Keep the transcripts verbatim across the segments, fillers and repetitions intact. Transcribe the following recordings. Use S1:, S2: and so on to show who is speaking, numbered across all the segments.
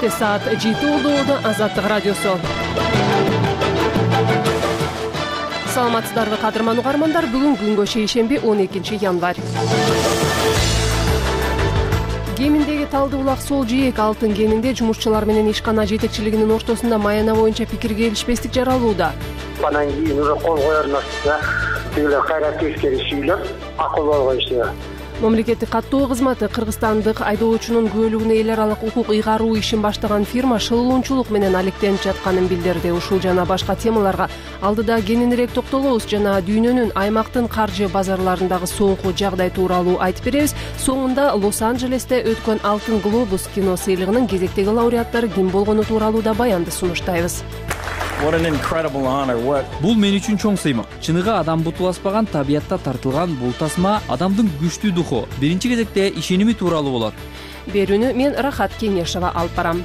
S1: Четте саат жети болду. Азаттык радиосу. Саламатсыздарбы кадырман угармандар. Бүгүн күнгө шейшемби он экинчи январь. Кеминдеги Талды булак сол жээк алтын кенинде жумушчулар менен ишкана жетекчилигинин ортосунда маяна боюнча пикир келишпестик жаралууда.
S2: Анан кийин уже кол коер нерсе тигилер кайра тескеришийлер акыл болгойсу.
S1: Мамлекеттик каттоо кызматы кыргызстандык айдоочунун күбөлүгүнө эл аралык укук ыйгаруу ишин баштаган фирма шылуунчулук менен алектенип жатканын билдирди. Ушул жана башка темаларга алдыда кененирээк токтолобуз жана дүйнөнүн аймактын каржы базарларындагы соңку жагдай тууралуу айтып беребиз. Соңунда Лос-Анджелесте өткөн Алтын глобус кино сыйлыгынын кезектеги лауреаттары ким болгону тууралуу да баянды сунуштайбыз.
S3: Бул мен үчүн чоң сыймык. Чыныгы адам буту баспаган табиятта тартылган бул тасма адамдын күчтүү духу, биринчи кезекте ишеними тууралуу болот.
S1: Берүүнү мен Рахат Кеңешова алып барам.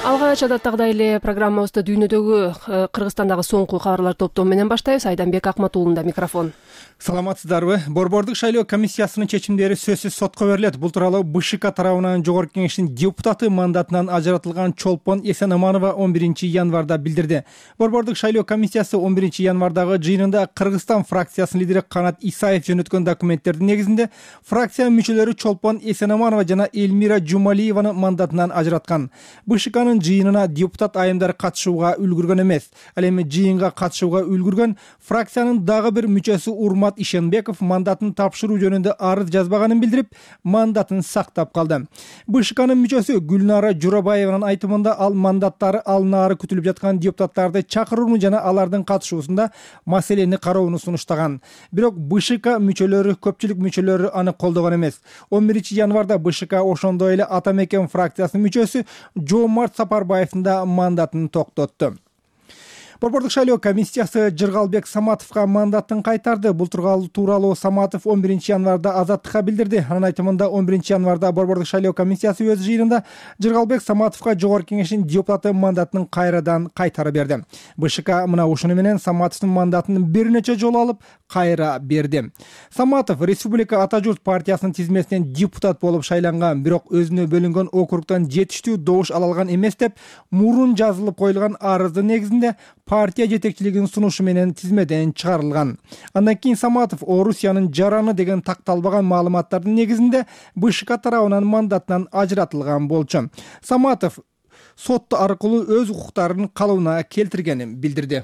S1: Алгач адаттагыдай эле программабызды дүйнөдөгү Кыргызстандагы соңку кабарлар топтому менен баштайбыз. Айданбек Акматуулунда микрофон.
S4: Саламатсыздарбы? Борбордук шайлоо комиссиясынын чечимдери сөзсүз сотко берилет. Бул тууралуу БШК тарабынан Жогорку Кеңештин депутаты мандатынан ажыратылган Чолпон Эсенаманова он биринчи январда билдирди. Борбордук шайлоо комиссиясы он биринчи январдагы жыйынында Кыргызстан фракциясынын лидери Канат Исаев жөнөткөн документтердин негизинде фракция мүчөлөрү Чолпон Эсенаманова жана Элмира Жумалиеваны мандатынан ажыраткан. БШКнын жыйынына депутат айымдары катышууга үлгүргөн эмес. Ал эми жыйынга катышууга үлгүргөн фракциянын дагы бир мүчөсү Урмат Ишенбеков мандатын тапшыруу жөнүндө арыз жазбаганын билдирип, мандатын сактап калды. БШКнын мүчөсү Гүлнара Журабаеванын айтымында ал мандаттары алынаары күтүлүп жаткан депутаттарды чакырууну жана алардын катышуусунда маселени кароону сунуштаган. Бирок БШК мүчөлөрү, көпчүлүк мүчөлөрү аны колдогон эмес. он биринчи январда БШК ошондой эле Ата Мекен фракциясынын мүчөсү Жоомарт Сапарбаевдин да мандатын токтотту. Борбордук шайлоо комиссиясы Жыргалбек Саматовго мандатын кайтарды. Бул тууралуу Саматов он биринчи январда Азаттыкка билдирди. Анын айтымында он биринчи январда Борбордук шайлоо комиссиясы өз жыйынында Жыргалбек Саматовго Жогорку Кеңештин депутаты мандатын кайрадан кайтарып берди. БШК мына ушуну менен Саматовдун мандатын бир нече жолу алып кайра берди. Саматов Республика Ата журт партиясынын тизмесинен депутат болуп шайланган, бирок өзүнө бөлүнгөн округтан жетиштүү добуш ала алган эмес деп мурун жазылып коюлган арыздын негизинде партия жетекчилигинин сунушу менен тизмеден чыгарылган. Андан кийин Саматов Орусиянын жараны деген такталбаган маалыматтардын негизинде БШК тарабынан мандатынан ажыратылган болчу. Саматов сот аркылуу өз укуктарын калыбына келтиргенин билдирди.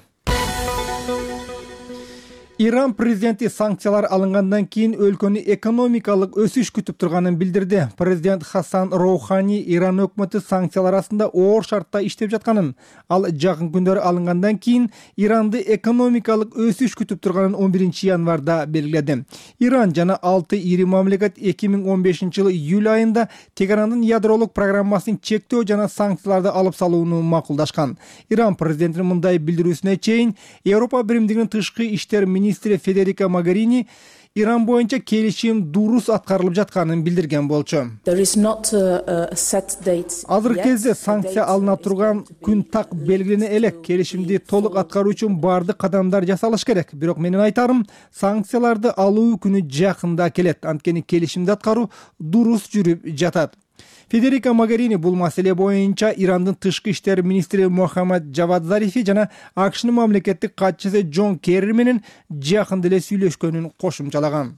S4: Иран президенти санкциялар алынгандан кийин өлкөнү экономикалык өсүш күтүп турганын билдирди. Президент Хасан Роухани Иран өкмөтү санкциялар астында оор шартта иштеп жатканын, ал жакын күндөрү алынгандан кийин Иранды экономикалык өсүш күтүп турганын он биринчи январда белгиледи. Иран жана алты ири мамлекет эки миң он бешинчи жылы июль айында Тегерандын ядролук программасын чектөө жана санкцияларды алып салууну макулдашкан. Иран президентинин мындай билдирүүсүнө чейин Европа Биримдигинин тышкы иштер министри Федерика Могерини Иран боюнча келишим дурус аткарылып жатканын билдирген болчу. Азыркы кезде санкция алына турган күн так белгилене элек. Келишимди толук аткаруу үчүн бардык кадамдар жасалыш керек. Бирок менин айтарым, санкцияларды алуу күнү жакында келет. Анткени келишимди аткаруу дурус жүрүп жатат. Федерика Могерини бул маселе боюнча Ирандын тышкы иштер министри Мохаммад Джавад Зарифи жана АКШнын мамлекеттик катчысы Джон Керри менен жакында эле сүйлөшкөнүн кошумчалаган.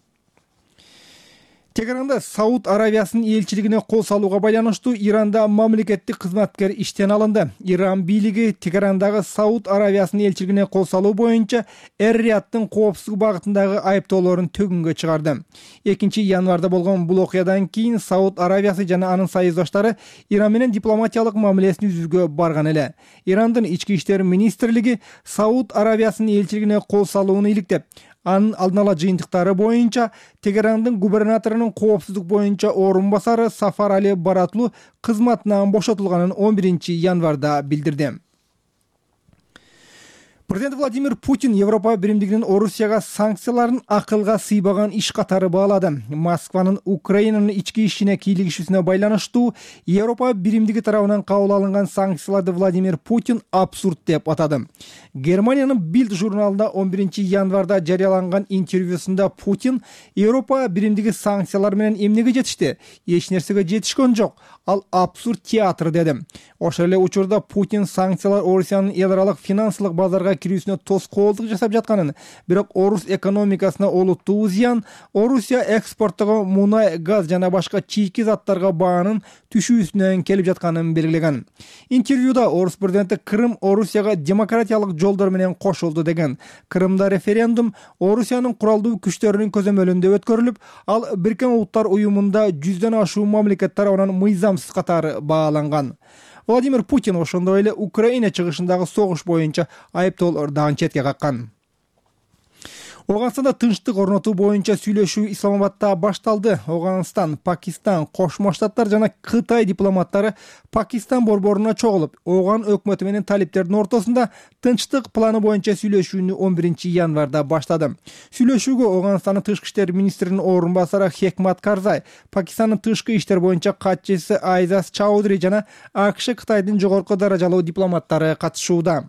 S4: Тегеранда Сауд Аравиясынын элчилигине кол салууга байланыштуу Иранда мамлекеттик кызматкер иштен алынды. Иран бийлиги Тегерандагы Сауд Аравиясынын элчилигине кол салуу боюнча Эр-Рияттын коопсуздук багытындагы айыптоолорун төгүнгө чыгарды. экинчи январда болгон бул окуядан кийин Сауд Аравиясы жана анын союздаштары Иран менен дипломатиялык мамилесин түзүүгө барган эле. Ирандын ички иштер министрлиги Сауд Аравиясынын элчилигине кол салууну иликтеп, анын алдын ала жыйынтыктары боюнча Тегерандын губернаторунун коопсуздук боюнча орун басары Сафар Али Баратлу кызматынан бошотулганын он биринчи январда билдирди. Президент Владимир Путин Европа биримдигинин Орусияга санкцияларын акылга сыйбаган иш катары баалады. Москванын Украинанын ички ишине кийлигишүүсүнө байланыштуу Европа биримдиги тарабынан кабыл алынган санкцияларды Владимир Путин абсурд деп атады. Германиянын Bild журналында он биринчи январда жарыяланган интервьюсунда Путин Европа биримдиги санкциялар менен эмнеге жетишти? Эч нерсеге жетишкен жок. Ал абсурд театр деди. Ошол эле учурда Путин санкциялар Орусиянын эл аралык финансылык базарга кирүүсүнө тоскоолдук жасап жатканын, бирок орус экономикасына олуттуу зыян, Орусия экспорттогон мунай, газ жана башка чийки заттарга баанын түшүүсүнөн келип жатканын белгилеген. Интервьюда орус президенти Крым Орусияга демократиялык жолдор менен кошулду деген. Крымда референдум Орусиянын куралдуу күчтөрүнүн көзөмөлүндө өткөрүлүп, ал Бириккен Улуттар уюмунда жүздөн ашуун мамлекет тарабынан мыйзамсыз катары бааланган. Владимир Путин ошондой эле Украина чыгышындагы согуш боюнча айыптоолор дагы четке каккан. Оганстанда тынчтык орнотуу боюнча сүйлөшүү Исламабадда башталды. Оганстан, Пакистан, Кошмо Штаттар жана Кытай дипломаттары Пакистан борборуна чогулуп, Оган өкмөтү менен талиптердин ортосунда тынчтык планы боюнча сүйлөшүүнү он биринчи январда баштады. Сүйлөшүүгө Оганстандын тышкы иштер министринин орун басары Хекмат Карзай, Пакистандын тышкы иштер боюнча катчысы Айзаз Чаудри жана АКШ Кытайдын жогорку даражалуу дипломаттары катышууда.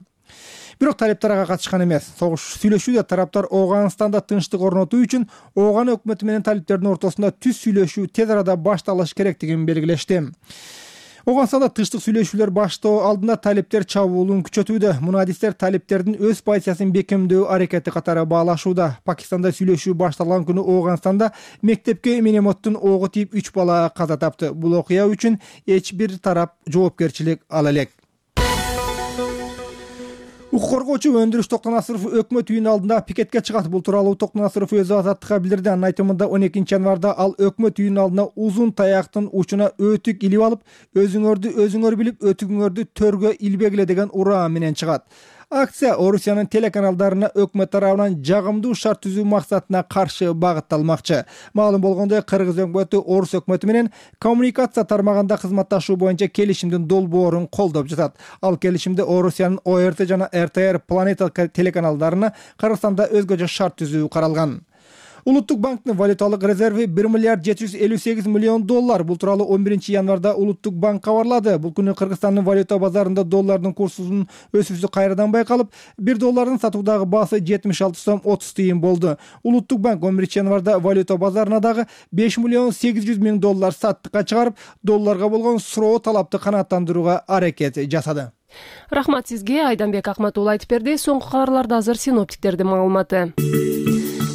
S4: Бирок талиптер ага катышкан эмес. Согуш сүйлөшүүдө тараптар Оганстанда тынчтык орнотуу үчүн Оган өкмөтү менен талиптердин ортосунда түз сүйлөшүү тез арада башталыш керектигин белгилешти. Оганстанда тынчтык сүйлөшүүлөр баштоо алдында талиптер чабуулун күчөтүүдө. Мунадистер талиптердин өз позициясын бекемдөө аракети катары баалашууда. Пакистанда сүйлөшүү башталган күнү Оганстанда мектепке минометтин ого тийип үч бала каза тапты. Бул окуя үчүн эч бир тарап жоопкерчилик ала элек. Укук коргоочу Өндүрүш Токтонасыров өкмөт үйүнүн алдында пикетке чыгат. Бул тууралуу Токтонасыров өзү азаттыкка билдирди. Анын айтымында он экинчи январда ал өкмөт үйүнүн алдына узун таяктын учуна өтүк илип алып, өзүңөрдү өзүңөр билип, өтүгүңөрдү төргө илбегиле деген ураан менен чыгат. Акция Орусиянын телеканалдарына өкмөт тарабынан жагымдуу шарт түзүү максатына каршы багытталмакчы. Маалым болгондой, Кыргыз өкмөтү Орус өкмөтү менен коммуникация тармагында кызматташуу боюнча келишимдин долбоорун колдоп жатат. Ал келишимде Орусиянын О Р Т жана Р Т Р Планета телеканалдарына Кыргызстанда өзгөчө шарт түзүү каралган. Улуттук банктын валюталык резерви бир миллиард жети жүз элүү сегиз миллион доллар. Бул тууралуу он биринчи январда Улуттук банк кабарлады. Бул күнү Кыргызстандын валюта базарында доллардын курсунун өсүүсү кайрадан байкалып, бир доллардын сатуудагы баасы жетимиш алты сом отуз тыйын болду. Улуттук банк он биринчи январда валюта базарына дагы беш миллион сегиз жүз миң доллар саттыкка чыгарып, долларга болгон суроо талапты канааттандырууга аракет жасады.
S1: Рахмат сизге, Айданбек Акматулла айтып берди. Соңку кабарларда азыр синоптиктердин маалыматы.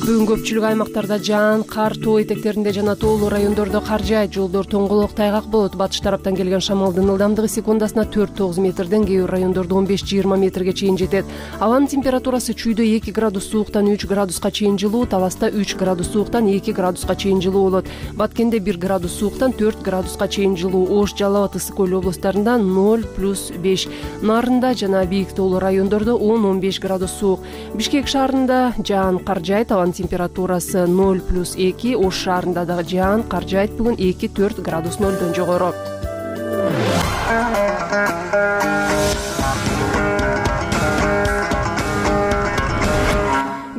S1: Бүгүн көпчүлүк аймактарда жаан, кар, тоо этектеринде жана тоолуу райондордо кар жаайт. Жолдор тоңголок, тайгак болот. Батыш тараптан келген шамалдын ылдамдыгы секундасына төрт тогуз метрден, кээ бир райондордо он беш жыйырма метрге чейин жетет. Абанын температурасы чүйдө эки градус сууктан үч градуска чейин жылуу, Таласта үч градус сууктан эки градуска чейин жылуу болот. Баткенде бир градус сууктан төрт градуска чейин жылуу. Ош, Жалал абад, Ысык көл облустарында ноль плюс беш, Нарында жана бийик тоолуу райондордо он он беш градус суук. Бишкек шаарында жаан, кар жаайт. Абанын температурасы ноль плюс эки, Ош шаарында дагы жаан, кар жаайт. Бүгүн эки төрт градус нөлдөн жогору.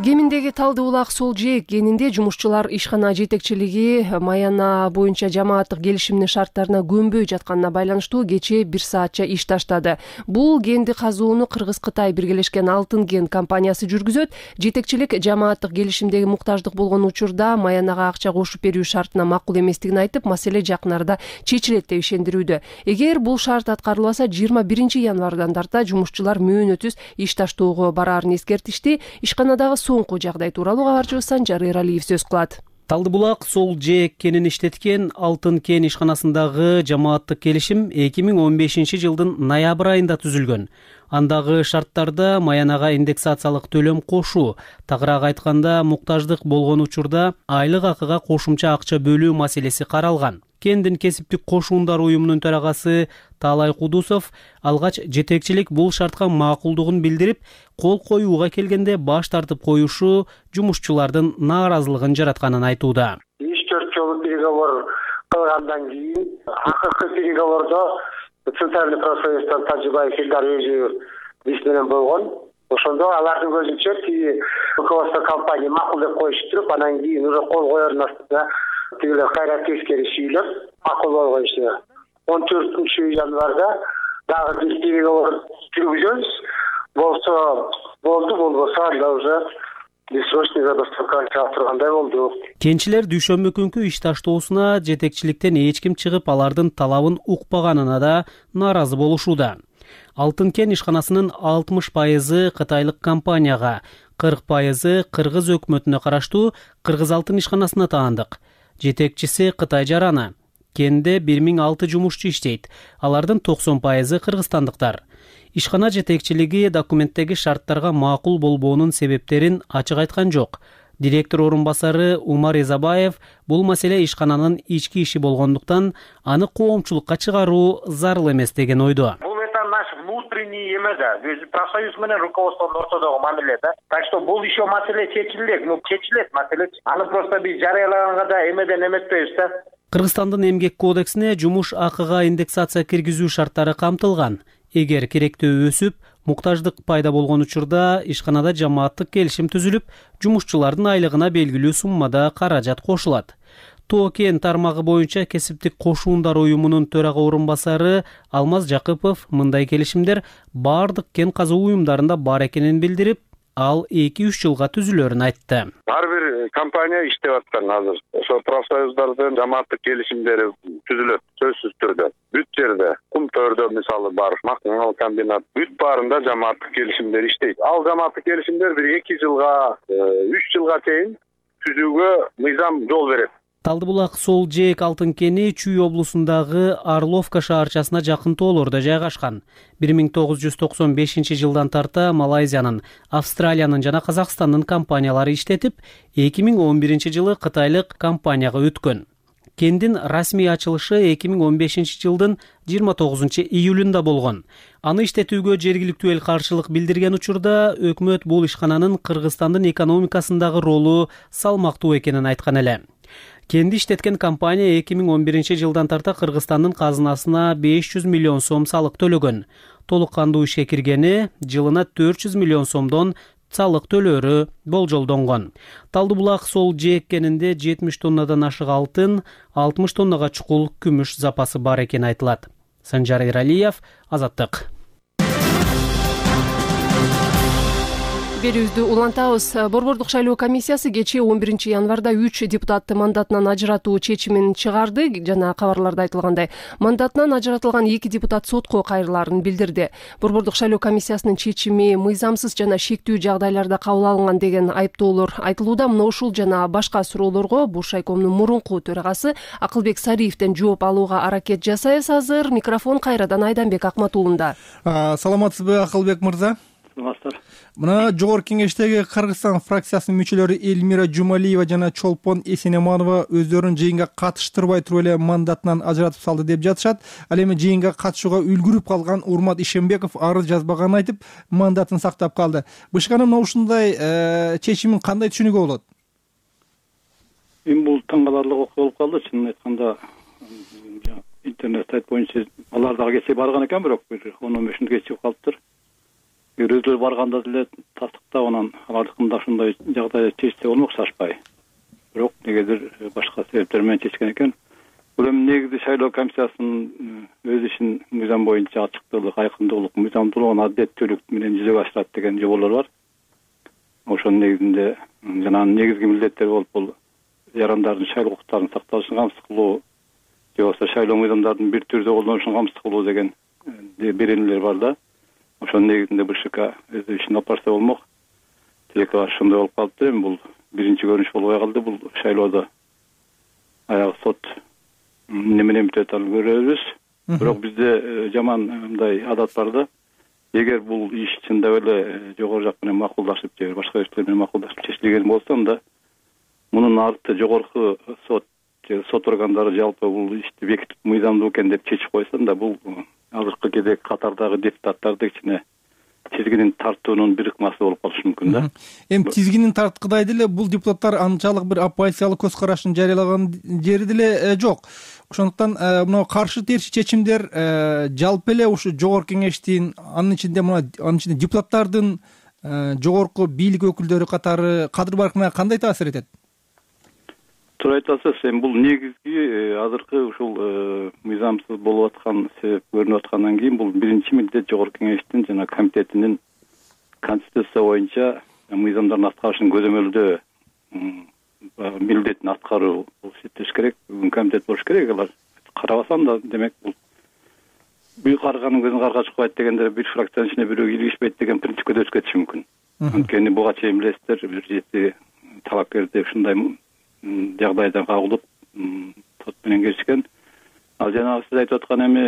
S1: Кеминдеги Талды Булак Сол Жээк кенинде жумушчулар ишкана жетекчилиги Маяна боюнча жамааттык келишимдин шарттарына көнбөй жатканына байланыштуу кечээ бир саатча иш таштады. Бул кенди казууну Кыргыз-Кытай биргелешкен Алтын кен компаниясы жүргүзөт. Жетекчилик жамааттык келишимдеги муктаждык болгон учурда Маянага акча кошуп берүү шартына макул эместигин айтып, маселе жакын арада чечилет деп ишендирүүдө. Эгер бул шарт аткарылбаса, жыйырма биринчи январдан тарта жумушчулар мөөнөтүз иш таштоого бараарын эскертишти. Ишканадагы соңку жагдай тууралуу кабарчыбыз Санжар Эралиев сөз кылат.
S5: Талды Булак Сол Жээк кенин иштеткен Алтын кен ишканасындагы жамааттык келишим эки миң он бешинчи жылдын ноябрь айында түзүлгөн. Андагы шарттарда Маянага индексациялык төлөм кошуу, тагыраак айтканда муктаждык болгон учурда айлык акыга кошумча акча бөлүү маселеси каралган. Кендин кесиптик кошуундар уюмунун төрагасы Таалай Кудусов алгач жетекчилик бул шартка макулдугун билдирип, кол коюуга келгенде баш тартып коюшу жумушчулардын нааразылыгын жаратканын айтууда.
S2: үч төрт жолу переговор кылгандан кийин акыркы переговордо Центральный профсоюздан Тажибаев Илдар өзү биз менен болгон. Ошондо алардын көзүнчө тиги руководство компания макул деп коюштуруп, анан кийин уже кол коердун астында тигилер кайра тескери сүйлөп макул болгончу он төртүнчү январда дагы бир переговор жүргүзөбүз. Болсо болду, болбосо анда уже бессрочный забастовка чыга тургандай болду.
S5: Кенчилер дүйшөмбү күнкү иш таштоосуна жетекчиликтен эч ким чыгып, алардын талабын укпаганына да нааразы болушууда. Алтын кен ишканасынын алтымыш пайызы кытайлык компанияга, кырк пайызы кыргыз өкмөтүнө караштуу Кыргыз алтын ишканасына таандык. Жетекчиси Кытай жараны. Кенде бир миң алты жумушчу иштейт. Алардын токсон пайызы кыргызстандыктар. Ишкана жетекчилиги документтеги шарттарга макул болбоонун себептерин ачык айткан жок. Директор орун басары Умар Изабаев бул маселе ишкананын ички иши болгондуктан аны коомчулукка чыгаруу зарыл эмес деген ойдо.
S6: Бул это наш внутренний эме да, профсоюз менен руководствонун ортодогу мамиле да. Так что бул еще маселе чечилет, ну чечилет маселе. Аны просто биз жарыялаганга да эмеден эметпейбиз да.
S5: Кыргызстандын эмгек кодексине жумуш акыга индексация киргизүү шарттары камтылган. Эгер керектөө өсүп, муктаждык пайда болгон учурда ишканада жамааттык келишим түзүлүп, жумушчулардын айлыгына белгилүү суммада каражат кошулат. Тоо кен тармагы боюнча кесиптик кошуундар уюмунун төрага орун басары Алмаз Жакыпов мындай келишимдер бардык кен казуу уюмдарында бар экенин билдирип, ал эки үч жылга түзүлөрүн айтты.
S7: Ар бир компания иштеп аткан азыр. Ошо профсоюздардын жамааттык келишимдери түзүлөт сөзсүз түрдө. Бүт жерде, Кумтөрдө мисалы бар, Макмал комбинат, бүт баарында жамааттык келишимдер иштейт. Ал жамааттык келишимдер бир эки жылга, үч жылга чейин түзүүгө мыйзам жол берет.
S5: Талдыбулак Сол Жээк алтын кени Чүй облусундагы Орловка шаарчасына жакын тоолордо жайгашкан. бир миң тогуз жүз токсон бешинчи жылдан тарта Малайзиянын, Австралиянын жана Казакстандын компаниялары иштетип, эки миң он биринчи жылы кытайлык компанияга өткөн. Кендин расмий ачылышы эки миң он бешинчи жылдын жыйырма тогузунчу июлунда болгон. Аны иштетүүгө жергиликтүү эл каршылык билдирген учурда өкмөт бул ишкананын Кыргызстандын экономикасындагы ролу салмактуу экенин айткан эле. Кенди иштеткен компания эки миң он биринчи жылдан тарта Кыргызстандын казынасына беш жүз миллион сом салык төлөгөн. Толук кандуу ишке киргени жылына төрт жүз миллион сомдон салык төлөөрү болжолдонгон. Талдыбулак Сол Жээк кенинде жетимиш тоннадан ашык алтын, алтымыш тоннага чукул күмүш запасы бар экени айтылат. Санжар Иралиев, Азаттык.
S1: Берүүбүздү улантабыз. Борбордук шайлоо комиссиясы кечээ он биринчи январда үч депутатты мандатынан ажыратуу чечимин чыгарды жана кабарларда айтылгандай, мандатынан ажыратылган эки депутат сотко кайрылаарын билдирди. Борбордук шайлоо комиссиясынын чечими мыйзамсыз жана шектүү жагдайларда кабыл алынган деген айыптоолор айтылууда. Мына ушул жана башка суроолорго Буршайкомдун мурунку төрагасы Акылбек Сариевден жооп алууга аракет жасайбыз азыр. Микрофон кайрадан Айданбек Акматуулунда.
S4: Саламатсызбы, Акылбек мырза? Мына жогорку кеңештеги Кыргызстан фракциясынын мүчөлөрү Элмира Жумалиева жана Чолпон Эсенеманова өздөрүн жыйынга катыштырбай туруп эле мандатынан ажыратып салды деп жатышат. Ал эми жыйынга катышууга үлгүрүп калган Урмат Ишембеков арыз жазбаганын айтып, мандатын сактап калды. Бышканын ушундай чечимин кандай түшүнүүгө болот?
S8: Эми бул таң каларлык окуя болуп калды. Чынын айтканда, интернет сайт боюнча алар дагы кечээ барган экен, бирок бир он он беш мүнөт кечигип калыптыр. Өздөрү барганда деле тастыктап, анан алардыкында ушундай жагдай чечсе болмок шашпай. Бирок негедир башка себептер менен чечкен экен. Бул эми негизи шайлоо комиссиясынын өз ишин мыйзам боюнча ачыктуулук, айкындуулук, мыйзамдуулугун адилеттүүлүк менен жүзөгө ашырат деген жоболор бар. Ошонун негизинде жана негизги милдеттери болуп бул жарандардын шайлоо укуктарын сакталышын камсыз кылуу, же болбосо шайлоо мыйзамдарын бир түрдө колдонушун камсыз кылуу деген беренелер бар да. Ошонун негизинде БШК өз ишин алып барса болмок. Тилекке ошондой болуп калыптыр. Эми бул биринчи көрүнүш болбой калды. Бул шайлоодо аягы сот эмне менен бүтөт аны көрөбүз. Бирок бизде жаман мындай адат бар да. Эгер бул иш чындап эле жогору жак менен макулдашып, же башка иштер менен макулдашып чечилген болсо, анда мунун арты жогорку сот же сот органдары жалпы бул ишти бекитип мыйзамдуу экен деп чечип койсо, анда бул азыркы кезек катардагы депутаттарды кичине тизгинин тартуунун бир ыкмасы болуп калышы мүмкүн да.
S4: Эми тизгинин тарткыдай деле бул депутаттар анчалык бир оппозициялык көз карашын жарыялаган жери деле жок. Ошондуктан мына каршы терчи чечимдер жалпы эле ушу жогорку кеңештин, анын ичинде мына анын ичинде депутаттардын жогорку бийлик өкүлдөрү катары кадыр баркына кандай таасир этет?
S8: туура айтасыз. Эми бул негизги азыркы ушул мыйзамсыз болуп аткан себеп көрүнүп аткандан кийин бул биринчи милдет жогорку кеңештин жана комитетинин конституция боюнча мыйзамдардын аткарышын көзөмөлдөө милдетин аткаруу эсептеш керек. Бүгүн комитет болуш керек. Алар карабасам да, демек бул бүйүк карганын көзүн карга чукпайт дегенде бир фракциянын ичине бирөө киргизбейт деген принципке да өтүп кетиши мүмкүн. Анткени буга чейин билесиздер, бир жети талапкерди ушундай жагдайда кагылып сот менен келишкен. Ал жанагы сиз айтып аткан эми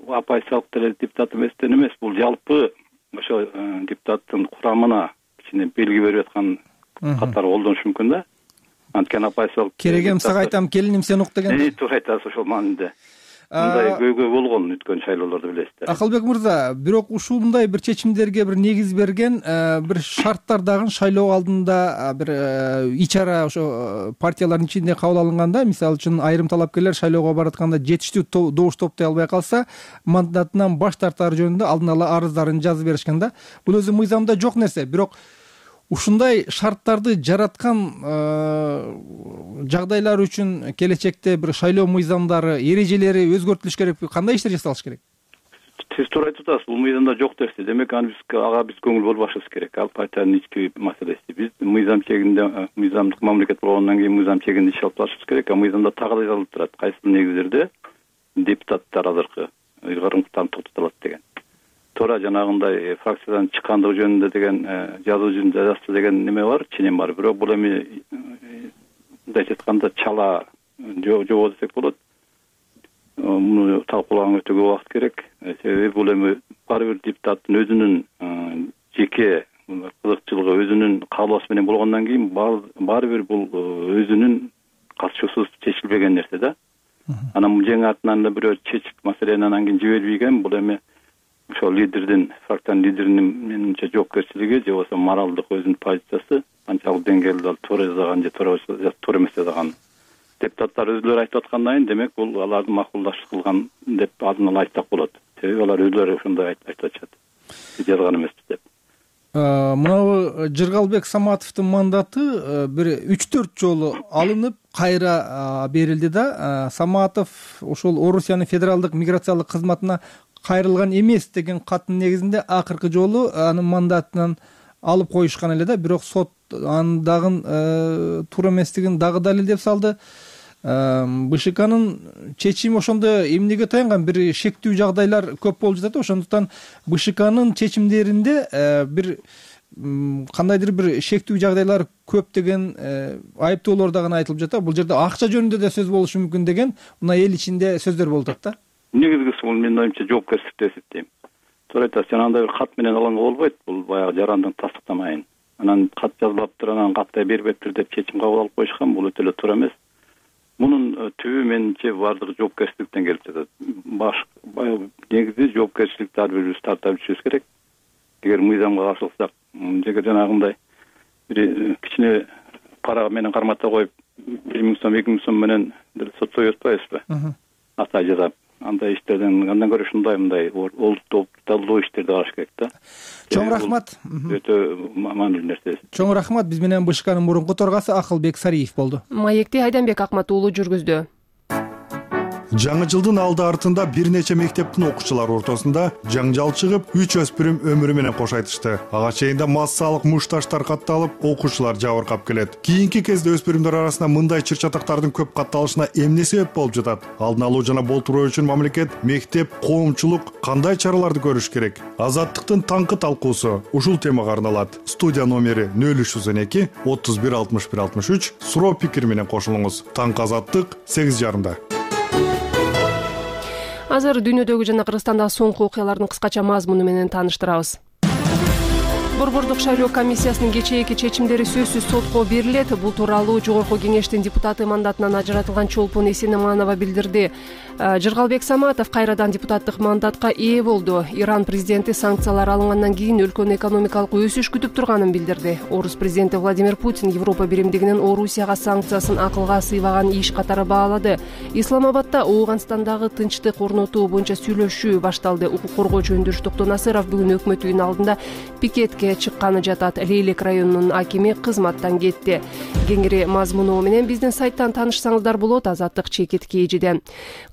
S8: оппозициялык деле депутат эместен эмес, бул жалпы ошо депутаттын курамына кичине белги берип аткан катары колдонушу мүмкүн да. Анткени оппозициялык
S4: керегем сага айтам, келиним сен ук деген.
S8: Туура айтасыз, ошол маанинде. Мындай көйгөй болгон өткөн шайлоолордо билесиздер.
S4: Акылбек мырза, бирок ушундай бир чечимдерге бир негиз берген бир шарттар дагы шайлоо алдында бир ичара ошо партиялардын ичинде кабыл алынганда, мисалы үчүн айрым талапкерлер шайлоого баратканда жетиштүү добуш топтой албай калса, мандатынан баш тартары жөнүндө алдын ала арыздарын жазып беришкен да. Бул өзү мыйзамда жок нерсе, бирок ушундай шарттарды жараткан жагдайлар үчүн келечекте бир шайлоо мыйзамдары, эрежелери өзгөртүлүш керек, кандай иштер жасалыш керек?
S8: Сиз туура айтып атасыз, бул мыйзамда жок нерсе. Демек аны биз ага биз көңүл бурбашыбыз керек. Ал партиянын ички маселеси. Биз мыйзам чегинде, мыйзамдык мамлекет болгондон кийин мыйзам чегинде иш алып барышыбыз керек. А мыйзамда так эле жазылып турат. Кайсы негиздерде депутаттар азыркы ыйгарымдыктарын токтотулат деген. Туура жанагындай фракциядан чыккандыгы жөнүндө деген жазуу жүзүндө жазса деген неме бар, ченем бар. Бирок бул эми мындай айтканда чала жобо десек болот. Муну талкуулаганга өтө көп убакыт керек. Себеби бул эми ар бир депутаттын өзүнүн жеке кызыкчылыгы, өзүнүн каалоосу менен болгондон кийин баары бир бул өзүнүн катышуусуз чечилбеген нерсе да. Анан жең артынан эле бирөө чечип маселени анан кийин жибербеген, бул эми ошол лидердин, фракциянын лидеринин менимче жоопкерчилиги же болбосо моралдык өзүнүн позициясы канчалык деңгээлде ал туура жазган же туура эмес жазган. Депутаттар өзүлөрү айтып аткандан кийин демек бул алардын макулдашып кылган деп алдын ала айтсак болот. Себеби алар өзүлөрү ошондой айтып атышат. Биз жазган эмеспиз деп.
S4: Мына Жыргалбек Саматовдун мандаты бир үч төрт жолу алынып, кайра берилди да. Саматов ошол Орусиянын федералдык миграциялык кызматына кайрылган эмес деген каттын негизинде акыркы жолу анын мандатынан алып коюшкан эле да. Бирок сот анын дагы туура эместигин дагы далилдеп салды. БШКнын чечими ошондо эмнеге таянган? Бир шектүү жагдайлар көп болуп жатат. Ошондуктан БШКнын чечимдеринде бир кандайдыр бир шектүү жагдайлар көп деген айыптоолор дагы айтылып жатат. Бул жерде акча жөнүндө да сөз болушу мүмкүн деген мына эл ичинде сөздөр болуп атат да.
S8: Негизгиси бул менин оюмча жоопкерчилик деп эсептейм. Туура айтасыз, андай бир кат менен алганга болбойт. Бул баягы жарандын тастыктамайын. Анан кат жазбаптыр, анан каттай бербептир деп чечим кабыл алып коюшкан. Бул өтө эле туура эмес. Мунун түбү менимче бардыгы жоопкерчиликтен келип жатат. Баш негизи жоопкерчиликти ар бирибиз тарта билишибиз керек. Эгер мыйзамга каршылыксак, же жанагындай бир кичине пара менен кармата коюп, бир миң сом, эки миң сом менен сотсой атпайбызбы? Атай жазап, андай иштерден андан көрө ушундай мындай олуттуу иштерди караш керек да.
S4: Чоң рахмат.
S8: Өтө маанилүү нерсе.
S4: Чоң рахмат. Биз менен БШКнын мурунку төрагасы Акылбек Сариев болду.
S1: Маекти Айданбек Акмат уулу жүргүздү.
S9: Жаңы жылдын алды артында бир нече мектептин окуучулары ортосунда жаңжал чыгып, үч өспүрүм өмүрү менен кош айтышты. Ага чейинде массалык мушташтар катталып, окуучулар жабыркап келет. Кийинки кезде өспүрүмдөр арасында мындай чыр-чатактардын көп катталышына эмне себеп болуп жатат? Алдын алуу жана болтуруу үчүн мамлекет, мектеп, коомчулук кандай чараларды көрүш керек? Азаттыктын таңкы талкуусу ушул темага арналат. Студия номери нөл үч жүз он эки отуз бир алтымыш бир алтымыш үч суроо пикир менен кошулуңуз. Таңкы Азаттык сегиз жарымда.
S1: Азыр дүйнөдөгү жана Кыргызстандагы соңку окуялардын кыскача мазмуну менен тааныштырабыз. Борбордук шайлоо комиссиясынын кечээки чечимдери сөзсүз сотко берилет. Бул тууралуу Жогорку кеңештин депутаты мандатынан ажыратылган Чолпон Эсенаманова билдирди. Жыргалбек Саматов кайрадан депутаттык мандатка ээ болду. Иран президенти санкциялар алынгандан кийин өлкөнү экономикалык өсүш күтүп турганын билдирди. Орус президенти Владимир Путин Европа биримдигинин Орусияга санкциясын акылга сыйбаган иш катары баалады. Исламабадда Ооганстандагы тынчтык орнотуу боюнча сүйлөшүү башталды. Укук коргоочу Өндүрүш Токтонасыров бүгүн өкмөт үйүнүн алдында пикетке митингге чыкканы жатат. Лейлек районунун акими кызматтан кетти. Кеңири мазмуну менен биздин сайттан таанышсаңыздар болот. Азаттык чекит кийжиден.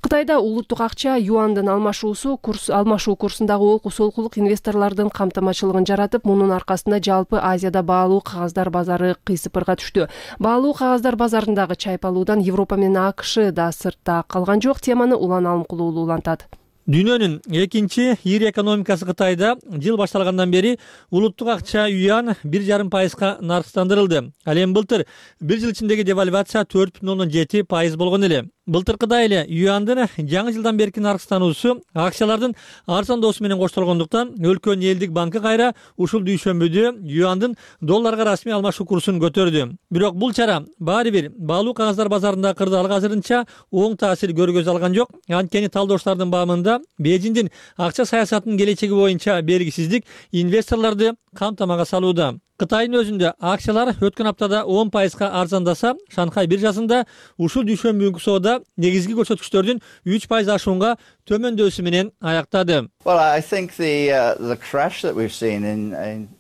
S1: Кытайда улуттук акча юандын алмашуусу курс алмашуу курсундагы олку солкулук инвесторлордун камтамачылыгын жаратып, мунун аркасында жалпы Азияда баалуу кагаздар базары кыйсыпырга түштү. Баалуу кагаздар базарындагы чайпалуудан Европа менен АКШ да сыртта калган жок. Теманы Улан Алымкулуулу улантат.
S10: Дүйнөнүн экинчи ири экономикасы Кытайда жыл башталгандан бери улуттук акча юан бир жарым пайызга наркстандырылды. Ал эми былтыр бир жыл ичиндеги девальвация төрт бүтүн ондон жети пайыз болгон эле. Былтыркыдай эле юандын жаңы жылдан берки наркстануусу акциялардын арзандоосу менен коштолгондуктан өлкөнүн элдик банкы кайра ушул дүйшөмбүдө юандын долларга расмий алмашуу курсун көтөрдү. Бирок бул чара баары бир баалуу кагаздар базарындагы кырдаалга азырынча оң таасир көргөзө алган жок. Анткени талдоочулардын баамында Бейжиңдин акча саясатынын келечеги боюнча белгисиздик инвесторлорду камтамага салууда. Кытайдын өзүндө акциялар өткөн аптада он пайызга арзандаса, Шанхай биржасында ушул дүйшөмбү соода негизги көрсөткүчтөрдүн үч пайыз ашуунга төмөндөсү менен аяктады.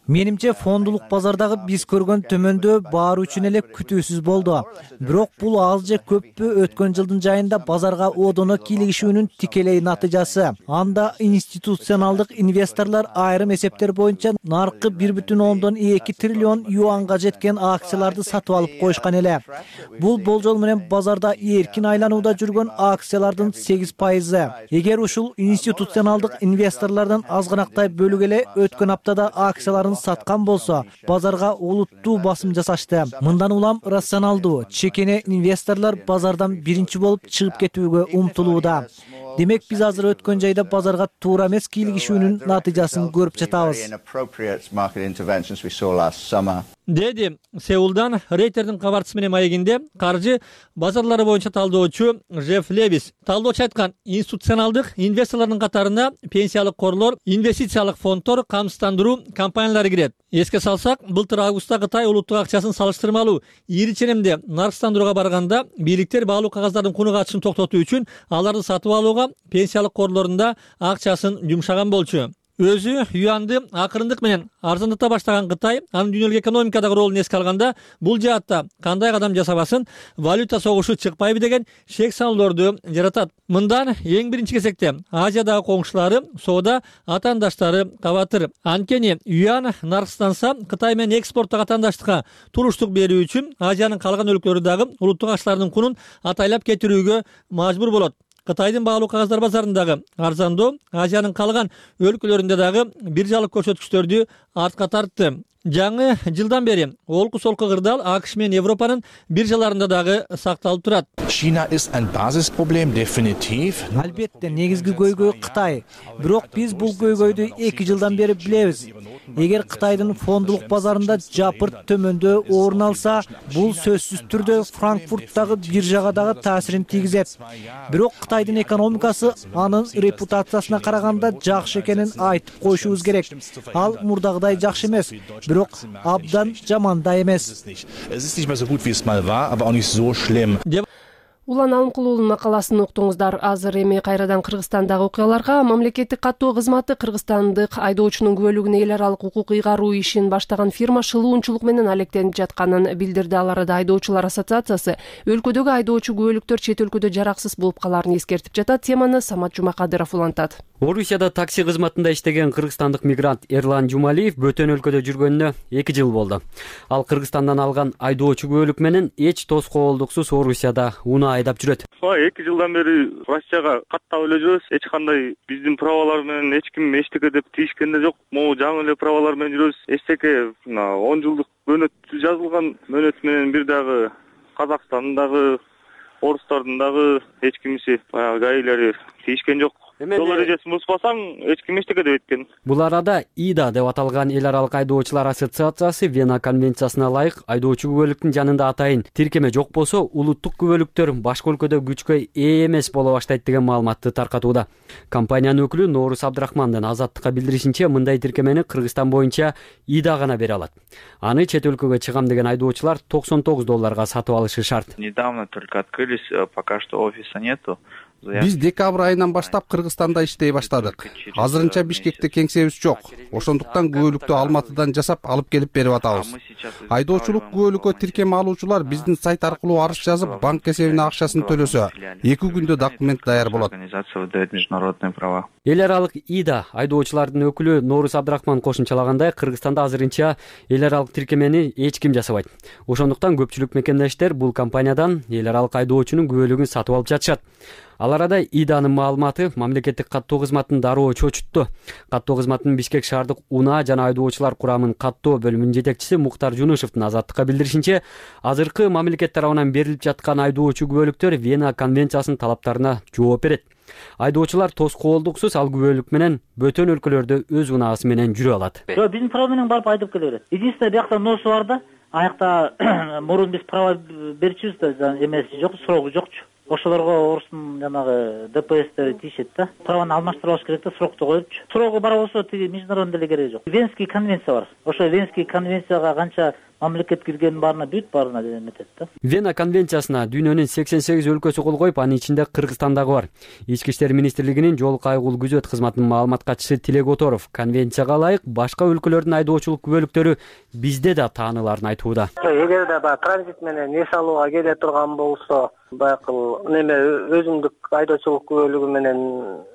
S11: Менимче фондулук базардагы биз көргөн төмөндөө баары үчүн эле күтүүсүз болду. Бирок бул аз же көппү өткөн жылдын жайында базарга одоно кийлигишүүнүн тикелей натыйжасы. Анда институционалдык инвесторлор айрым эсептер боюнча наркы бир бүтүн ондон эки триллион юанга жеткен акцияларды сатып алып коюшкан эле. Бул болжол менен базарда эркин айланууда жүргөн акциялардын сегиз пайызы. Эгер ушул институционалдык инвесторлордун азгынактай бөлүгү эле өткөн аптада акцияларын саткан болсо, базарга олуттуу басым жасашты. Мындан улам рационалдуу, чекене инвесторлор базардан биринчи болуп чыгып кетүүгө умтулууда. Демек биз азыр өткөн жайда базарга туура эмес кийлигишүүнүн натыйжасын көрүп жатабыз.
S10: Деди Сеулдан Рейтердин кабарчысы менен маегинде каржы базарлары боюнча талдоочу Жеф Левис. Талдоочу айткан, институционалдык инвесторлордун катарына пенсиялык корлор, инвестициялык фонддор, камсыздандыруу компаниялары кирет. Эске салсак, былтыр августта Кытай улуттук акчасын салыштырмалуу ири ченемде наркстандырууга барганда, бийликтер баалуу кагаздардын куну катышын токтотуу үчүн аларды сатып алууга пенсиялык корлорунда акчасын жумшаган болчу. Өзү юанды акырындык менен арзандата баштаган Кытай анын дүйнөлүк экономикадагы ролун эске алганда, бул жаатта кандай кадам жасабасын, валюта согушу чыкпайбы деген шек салуулорду жаратат. Мындан эң биринчи кезекте Азиядагы коңшулары, соода атаандаштары кабатыр. Анткени юан наркстанса, Кытай менен экспорттук атаандаштыкка туруштук берүү үчүн Азиянын калган өлкөлөрү дагы улуттук акчалардын кунун атайлап кетирүүгө мажбур болот. Кытайдын баалуу кагаздар базарындагы арзандоо Азиянын калган өлкөлөрүндө дагы биржалык көрсөткүчтөрдү артка тартты. Жаңы жылдан бери олку солку кырдаал АКШ менен Европанын биржаларында дагы сакталып турат.
S11: Албетте негизги көйгөй Кытай. Бирок биз бул көйгөйдү эки жылдан бери билебиз. Эгер Кытайдын фондулук базарында жапырт төмөндөө орун алса, бул сөзсүз түрдө Франкфурттагы биржага дагы таасирин тийгизет. Бирок Кытайдын экономикасы анын репутациясына караганда жакшы экенин айтып коюшубуз керек. Ал мурдагыдай жакшы эмес, бирок абдан жаман да эмес.
S1: Улан Алымкулуулун макаласын уктуңуздар. Азыр эми кайрадан Кыргызстандагы окуяларга. Мамлекеттик каттоо кызматы кыргызстандык айдоочунун күбөлүгүнө эл аралык укук ыйгаруу ишин баштаган фирма шылуунчулук менен алектенип жатканын билдирди. Ал арада айдоочулар ассоциациясы өлкөдөгү айдоочу күбөлүктөр чет өлкөдө жараксыз болуп калаарын эскертип жатат. Теманы Самат Жумакадыров улантат.
S5: Орусияда такси кызматында иштеген кыргызстандык мигрант Эрлан Жумалиев бөтөн өлкөдө жүргөнүнө эки жыл болду. Ал Кыргызстандан алган айдоочу күбөлүк менен эч тоскоолдуксуз Орусияда унаа айдап жүрөт.
S12: эки жылдан бери Россияга каттап эле жүрөбүз. Эч кандай биздин правалар менен эч ким эчтеке деп тийишкен да жок. Могу жаңы эле правалар менен жүрөбүз. Эчтеке он жылдык мөөнөт жазылган мөөнөт менен бир дагы Казакстандагы орустардын дагы эч кимиси баягы гаилери тийишкен жок. Жол эрежесин бузбасаң, эч ким эчтеке деп эткен.
S5: Бул арада ИДА деп аталган эл аралык айдоочулар ассоциациясы Вена конвенциясына ылайык айдоочу күбөлүктүн жанында атайын тиркеме жок болсо, улуттук күбөлүктөр башка өлкөдө күчкө ээ эмес боло баштайт деген маалыматты таркатууда. Компаниянын өкүлү Норус Абдрахмандын Азаттыкка билдиришинче, мындай тиркемени Кыргызстан боюнча ИДА гана бере алат. Аны чет өлкөгө чыгам деген айдоочулар токсон тогуз долларга сатып алышы шарт.
S13: Недавно только открылись, пока что офиса нету.
S14: Биз декабрь айынан баштап Кыргызстан
S13: Кыргызстанда иштей баштадык. Азырынча Бишкекте кеңсебиз жок. Ошондуктан күбөлүктү Алматыдан жасап алып келип берип атабыз. Айдоочулук күбөлүккө тиркеме алуучулар биздин сайт аркылуу арыз жазып, банк эсебине акчасын төлөсө, эки күндө документ даяр болот.
S5: Эл аралык ИДА айдоочулардын өкүлү Нооруз Абдрахман кошумчалагандай, Кыргызстанда азырынча эл аралык тиркемени эч ким жасабайт. Ошондуктан көпчүлүк мекемдештер бул компаниядан эл аралык айдоочунун күбөлүгүн сатып алып жатышат. Ал арада ИДАнын маалыматы мамлекеттик каттоо кызматын дароо чочутту. Каттоо кызматынын Бишкек шаардык унаа жана айдоочулар курамын каттоо бөлүмүнүн жетекчиси Муктар Жунушевдин Азаттыкка билдиришинче, азыркы мамлекет тарабынан берилип жаткан айдоочу күбөлүктөр Вена конвенциясынын талаптарына жооп берет. Айдоочулар тоскоолдуксуз ал күбөлүк менен бөтөн өлкөлөрдө өз унаасы менен жүрө алат.
S14: Жок, биздин права менен барып айдап келе берет. Единственное, биякта носу бар да, аякта мурун биз права берчүбүз да, эмеси жок, срогу жокчу. Ошолорго орустун жанагы ДПСтери тийишет да. Праваны алмаштырып алыш керек да, срокту коюпчу. Срогу бар болсо тиги международный деле кереги жок. Венский конвенция бар. Ошо Венский конвенцияга канча мамлекет киргенин баарына бүт баарына эметет да.
S5: Вена конвенциясына дүйнөнүн сексен сегиз өлкөсү кол коюп, анын ичинде Кыргызстан дагы бар. Ички иштер министрлигинин жол кайгыл күзөт кызматынын маалымат катчысы Тилек Оторов конвенцияга ылайык башка өлкөлөрдүн айдоочулук күбөлүктөрү бизде да тааныларын айтууда.
S15: Эгерде баягы транзит менен эс алууга келе турган болсо, баягы неме өзүмдүк айдоочулук күбөлүгү менен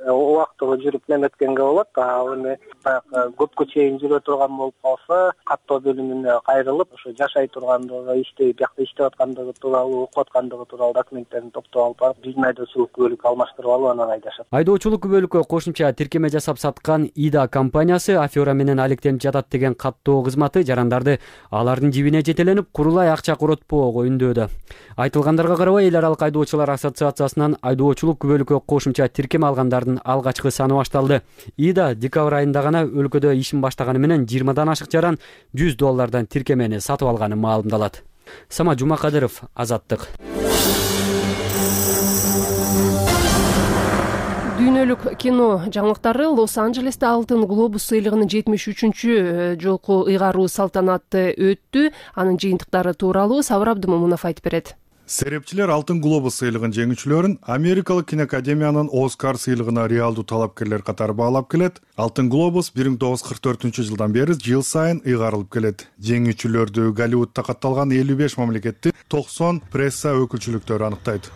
S15: убактылуу жүрүп неметкенге болот. Ал эми баягы көпкө чейин жүрө турган болуп калса, каттоо бөлүмүнө кайрылып, ошо жашай тургандыгы, иштей, биякта иштеп аткандыгы тууралуу, окуп аткандыгы тууралуу документтерин топтоп алып барып, биздин айдоочулук күбөлүккө алмаштырып алып анан айдашат.
S5: Айдоочулук күбөлүккө кошумча тиркеме жасап саткан ИДА компаниясы афера менен алектенип жатат деген каттоо кызматы жарандарды алардын жибине жетеленип, курулай акча коротпоого үндөөдө. Айтылгандарга карабай, эл аралык айдоочулар ассоциациясынан айдоочулук күбөлүккө кошумча тиркеме алгандардын алгачкы саны башталды. ИДА декабрь айында гана өлкөдө ишин баштаганы менен жыйырмадан ашык жаран жүз доллардан тиркемени сатып алганы маалымдалат. Сама Жумакадыров, Азаттык.
S1: Дүйнөлүк кино жаңылыктары Лос-Анджелесте Алтын глобус сыйлыгынын жетимиш үчүнчү жолку ыйгаруу салтанаты өттү. Анын жыйынтыктары тууралуу Сабыр Абдымомунов айтып берет.
S9: Серепчилер Алтын глобус сыйлыгын жеңүүчүлөрүн Америкалык киноакадемиянын Оскар сыйлыгына реалдуу талапкерлер катары баалап келет. Алтын глобус бир миң тогуз жүз кырк төртүнчү жылдан бери жыл сайын ыйгарылып келет. Жеңүүчүлөрдү Голливудта катталган элүү беш мамлекеттин токсон пресса өкүлчүлүктөрү аныктайт.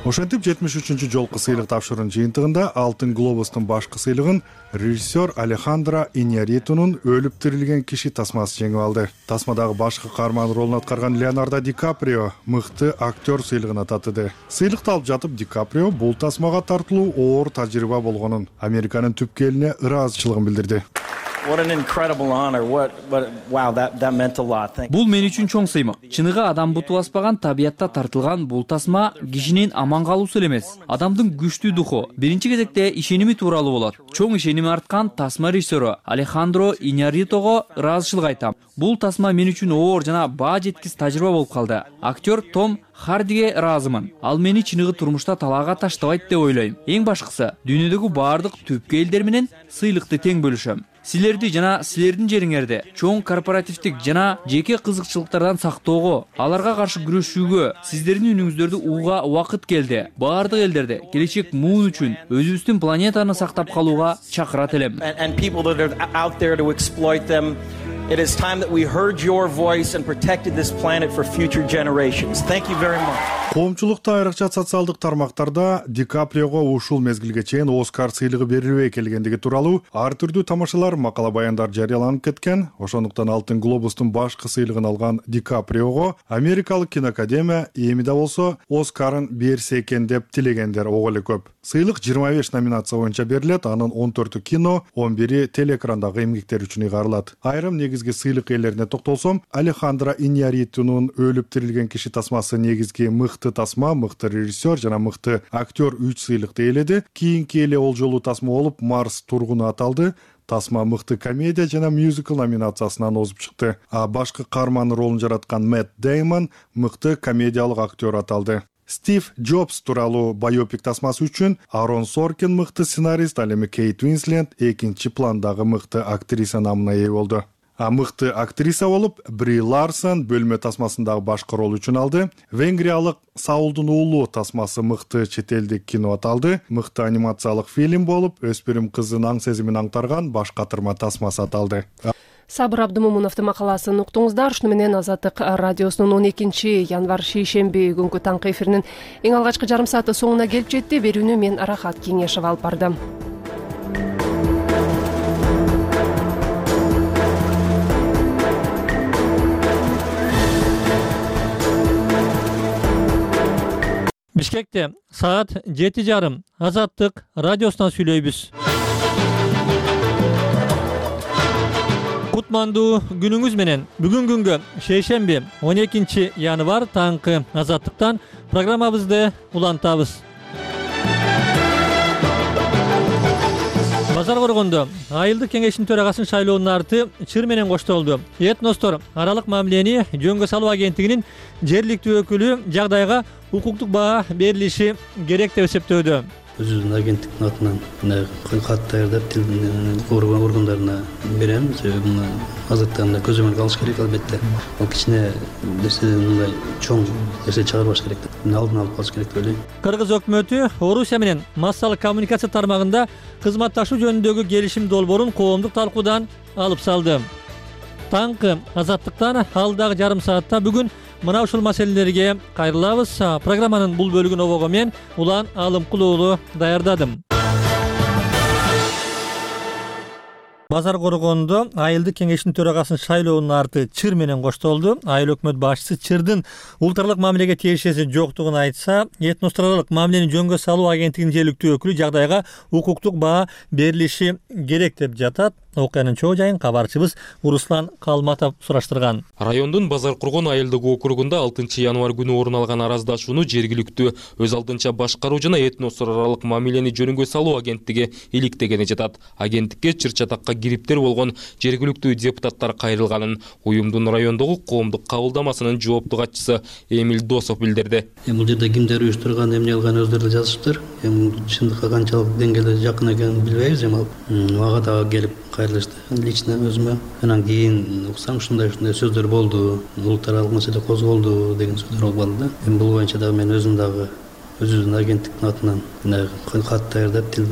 S9: Ошентип жетимиш үчүнчү жолку сыйлык тапшыруунун жыйынтыгында Алтын глобустун башкы сыйлыгын режиссер Алехандро Иньярритунун өлүп тирилген киши тасмасы жеңип алды. Тасмадагы башкы каарман ролун аткарган Леонардо Ди Каприо мыкты актер сыйлыгына татыды. Сыйлыкты алып жатып Ди Каприо бул тасмага тартылуу оор тажрыйба болгонун, Американын түпкү элине ыраазычылыгын билдирди.
S3: Бул мен үчүн чоң сыймык. Чыныгы адам буту баспаган табиятта тартылган бул тасма кишинин аман калуусу эле эмес, адамдын күчтүү духу, биринчи кезекте ишеними тууралуу болот. Чоң ишеними арткан тасма режиссеру Алехандро Иньярритого ыраазычылык айтам. Бул тасма мен үчүн оор жана баа жеткис тажрыйба болуп калды. Актер Том Хардиге ыраазымын. Ал мени чыныгы турмушта талаага таштабайт деп ойлойм. Эң башкысы, дүйнөдөгү баардык түпкү элдер менен сыйлыкты тең бөлүшөм. Силерди жана силердин жериңерди чоң корпоративдик жана жеке кызыкчылыктардан сактоого, аларга каршы күрөшүүгө, сиздердин үнүңүздөрдү угууга убакыт келди. Баардык элдерди келечек муун үчүн өзүбүздүн планетаны сактап калууга чакырат элем.
S16: It is time that we heard your voice and protected this planet for future generations. Thank you very much.
S9: Коомчулукта айрыкча социалдык тармактарда Ди Каприого ушул мезгилге чейин Оскар сыйлыгы берилбей келгендиги тууралуу ар түрдүү тамашалар, макала баяндар жарыяланып кеткен. Ошондуктан Алтын глобустун башкы сыйлыгын алган Ди Каприого Америкалык киноакадемия эми да болсо Оскарын берсе экен деп тилегендер ого эле көп. Сыйлык жыйырма беш номинация боюнча берилет, анын он төртү кино, он бири телеэкрандагы эмгектер үчүн ыйгарылат. Айрым негизги сыйлык ээлерине токтолсом, Алехандро Иньярритунун өлүп тирилген киши тасмасы негизги мыкты тасма, мыкты режиссер жана мыкты актер үч сыйлыкты ээледи. Кийинки эле олжолуу тасма болуп Марс тургуну аталды. Тасма мыкты комедия жана мюзикл номинациясынан озуп чыкты. А башкы каарман ролун жараткан Мэтт Деймон мыкты комедиялык актер аталды. Стив Джобс тууралуу байопик тасмасы үчүн Арон Соркин мыкты сценарист, ал эми Кейт Уинслет экинчи пландагы мыкты актриса намына ээ болду. А мыкты актриса болуп Бри Ларсон бөлмө тасмасындагы башкы рол үчүн алды. Венгриялык Саулдун уулу тасмасы мыкты чет элдик кино аталды. Мыкты анимациялык фильм болуп, өспүрүм кыздын аң сезимин аңтарган баш катырма тасмасы аталды.
S1: Сабыр Абдымомуновдун макаласын уктуңуздар. Ушуну менен Азаттык радиосунун он экинчи январь шейшемби күнгү таңкы эфиринин эң алгачкы жарым сааты соңуна келип жетти. Берүүнү мен Арахат Кеңешова алып бардым.
S10: Бишкекте саат жети жарым Азаттык радиосунан сүйлөйбүз. Кутмандуу күнүңүз менен. Бүгүн күнгө шейшемби он экинчи январь таңкы Азаттыктан программабызды улантабыз. Базар коргондо айылдык кеңештин төрагасын шайлоонун арты чыр менен коштолду. Этностор аралык мамилени жөнгө салуу агенттигинин жергиликтүү өкүлү жагдайга укуктук баа берилиши керек деп эсептөөдө.
S17: Өзүбүздүн агенттиктин атынан мына кат даярдап тил органдарына берем. Себеби мына азыркы көзөмөлгө алыш керек албетте. Ал кичине нерседен мындай чоң нерсе чыгарбаш керек. Алдын алып калыш керек деп ойлойм.
S10: Кыргыз өкмөтү Орусия менен массалык коммуникация тармагында кызматташуу жөнүндөгү келишим долбоорун коомдук талкуудан алып салды. Таңкы Азаттыктан алдагы жарым саатта бүгүн мына ушул маселелерге кайрылабыз. Программанын бул бөлүгүн обого мен Улан Алымкулуулу даярдадым. Базар коргондо айылдык кеңештин төрагасын шайлоонун арты чыр менен коштолду. Айыл өкмөт башчысы чырдын улуттаралык мамилеге тиешеси жоктугун айтса, этностор аралык мамилени жөнгө салуу агенттигинин жергиликтүү өкүлү жагдайга укуктук баа берилиши керек деп жатат. Окуянын чоо жайын кабарчыбыз Руслан Калматов сураштырган.
S18: Райондун Базар коргон айылдык округунда алтынчы январь күнү орун алган араздашууну жергиликтүү өз алдынча башкаруу жана этностор аралык мамилени жөнгө салуу агенттиги иликтегени жатат. Агенттикке чыр-чатакка кириптер болгон жергиликтүү депутаттар кайрылганын уюмдун райондогу коомдук кабылдамасынын жоопту катчысы Эмиль Досов билдирди.
S17: Бул жерде кимдер уюштурган, эмне кылган өздөрү да жазышыптыр. Эми чындыкка канчалык деңгээлде жакын экенин билбейбиз. Эми мага дагы келип кайрылышты. Лично өзүмө анан кийин уксам ушундай ушундай сөздөр болду, улуттар аралык маселе козголду деген сөздөр болуп калды да. Эми бул боюнча дагы мен өзүм дагы өзүбүздүн агенттиктин атынан кат даярдап тил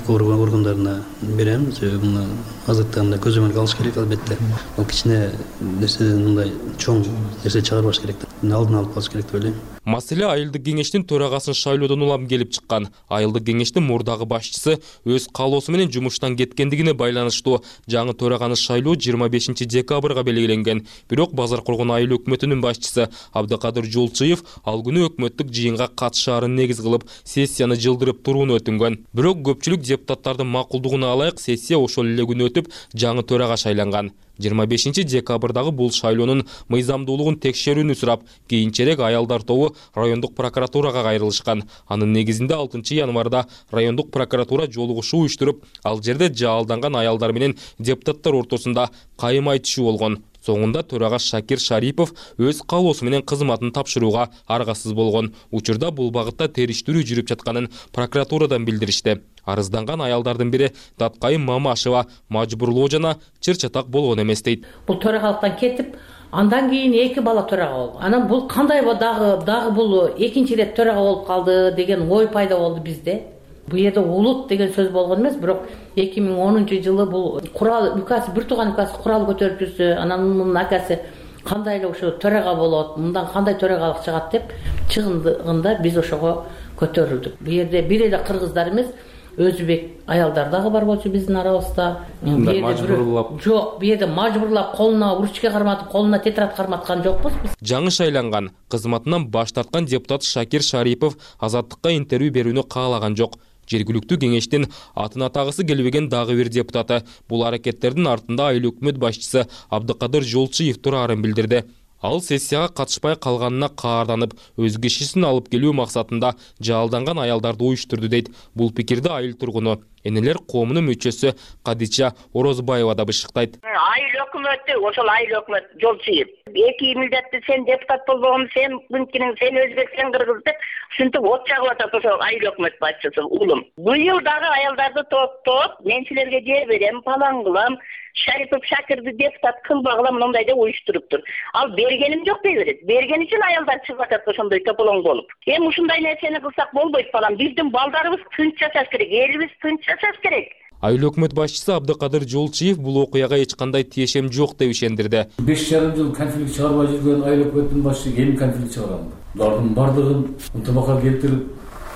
S17: органдарына берем. Себеби мына азыркы мындай көзөмөлгө алыш керек албетте. Ал кичине нерседен мындай чоң нерсе чыгарбаш керек. Алдын алып калыш керек деп ойлойм.
S18: Маселе айылдык кеңештин төрагасын шайлоодон улам келип чыккан. Айылдык кеңештин мурдагы башчысы өз каалоосу менен жумуштан кеткендигине байланыштуу жаңы төраганы шайлоо жыйырма бешинчи декабрга белгиленген. Бирок Базар коргон айыл өкмөтүнүн башчысы Абдыкадыр Жолчуев ал күнү өкмөттүк жыйынга катышаарын негиз кылып сессияны жылдырып турууну өтүнгөн. Бирок көпчүлүк депутаттардын макулдугуна алайык сессия ошол эле күнү өтүп жаңы төрага шайланган. жыйырма бешинчи декабрдагы бул шайлоонун мыйзамдуулугун текшерүүнү сурап, кийинчерээк аялдар тобу райондук прокуратурага кайрылышкан. Анын негизинде алтынчы январда райондук прокуратура жолугушуу уюштуруп, ал жерде жаалданган аялдар менен депутаттар ортосунда кайым айтышуу болгон. Соңунда төрага Шакир Шарипов өз каалоосу менен кызматын тапшырууга аргасыз болгон. Учурда бул багытта териштирүү жүрүп жатканын прокуратурадан билдиришти. Арызданган аялдардын бири Таткайым Мамашева мажбурлоо жана чыр-чатак болгон эмес дейт.
S19: Бул төрагалыктан кетип, андан кийин эки бала төрага болду. Анан бул кандай дагы дагы бул экинчи ирет төрага болуп калды деген ой пайда болду бизде. Бул жерде улут деген сөз болгон эмес, бирок эки миң онунчу жылы бул курал указ, бир тууган указ курал көтөрүп жүрсө, анан мунун акасы кандай эле ошо төрага болот, мындан кандай төрагалык чыгат деп чыгындыгында биз ошого көтөрүлдүк. Бул жерде бир эле кыргыздар эмес, өзбек аялдар дагы бар болчу биздин арабызда.
S18: Мажбурлап.
S19: Жок, бу жерде мажбурлап колуна ручка карматып, колуна тетрадь карматкан жокпуз биз.
S18: Жаңы шайланган, кызматынан баш тарткан депутат Шакир Шарипов Азаттыкка интервью берүүнү каалаган жок. Жергиликтүү кеңештин атын атагысы келбеген дагы бир депутаты бул аракеттердин артында айыл өкмөт башчысы Абдыкадыр Жолчуев турарын билдирди. Ал сессияга катышпай калганына каарданып, өз кишисин алып келүү максатында жаалданган аялдарды уюштурду дейт. Бул пикирди айыл тургуну, энелер коомунун мүчөсү Кадича Орозбаева да бышыктайт.
S20: Айыл өкмөтү, ошол айыл өкмөт Жолчуев. Эки милдетти сен депутат болгон, сен мынтинин, сен өзбек, сен кыргыз деп ушинтип от чагып атат ошол айыл өкмөт башчысы улум. Быйыл дагы аялдарды топтоп, мен силерге жер берем, палан кылам, Шарипов Шакирди депутат кылбагыла мындай деп уюштуруптур. Ал бергеним жок дей берет. Берген үчүн аялдар чыгып атат ошондой тополоң болуп. Эми ушундай нерсени кылсак болбойт балам. Биздин балдарыбыз тынч жашаш керек, элибиз тынч жашаш керек.
S18: Айыл өкмөт башчысы Абдыкадыр Жолчиев бул окуяга эч кандай тиешем жок деп ишендирди.
S21: беш жарым жыл конфликт чыгарбай жүргөн айыл өкмөттүн башчысы эми конфликт чыгарам. Булардын бардыгын ынтымакка келтирип,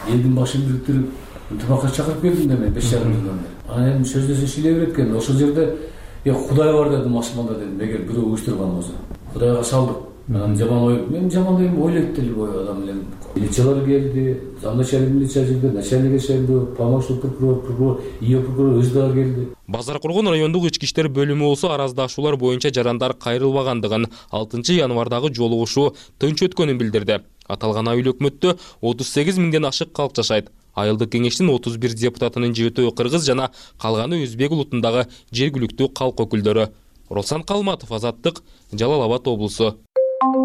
S21: элдин башын бириктирип, ынтымакка чакырып келдим да мен беш жарым жылдан бери. Анан эми сөздөсө шиле берет экен. Ошол жерде "Е Кудай бар" дедим машинада дедим. Эгер бирөө уюштурган болсо. Кудайга салдык. Анан жаман ой, мен жаман ойм ойлойт деле ой адам менен. Милициялар келди, замначальник милиция келди, начальник келди, помощник прокурор, прокурор, ио прокурор өз дагы келди.
S18: Базар Кургон райондук ички иштер бөлүмү болсо араздашуулар боюнча жарандар кайрылбагандыгын, алтынчы январдагы жолугушуу тынч өткөнүн билдирди. Аталган айыл өкмөттө отуз сегиз миңден ашык калк жашайт. Айылдык кеңештин отуз бир депутатынын жетөө кыргыз жана калганы өзбек улутундагы жергиликтүү калк өкүлдөрү. Оролсан Калматов, Азаттык, Жалал Абад облусу.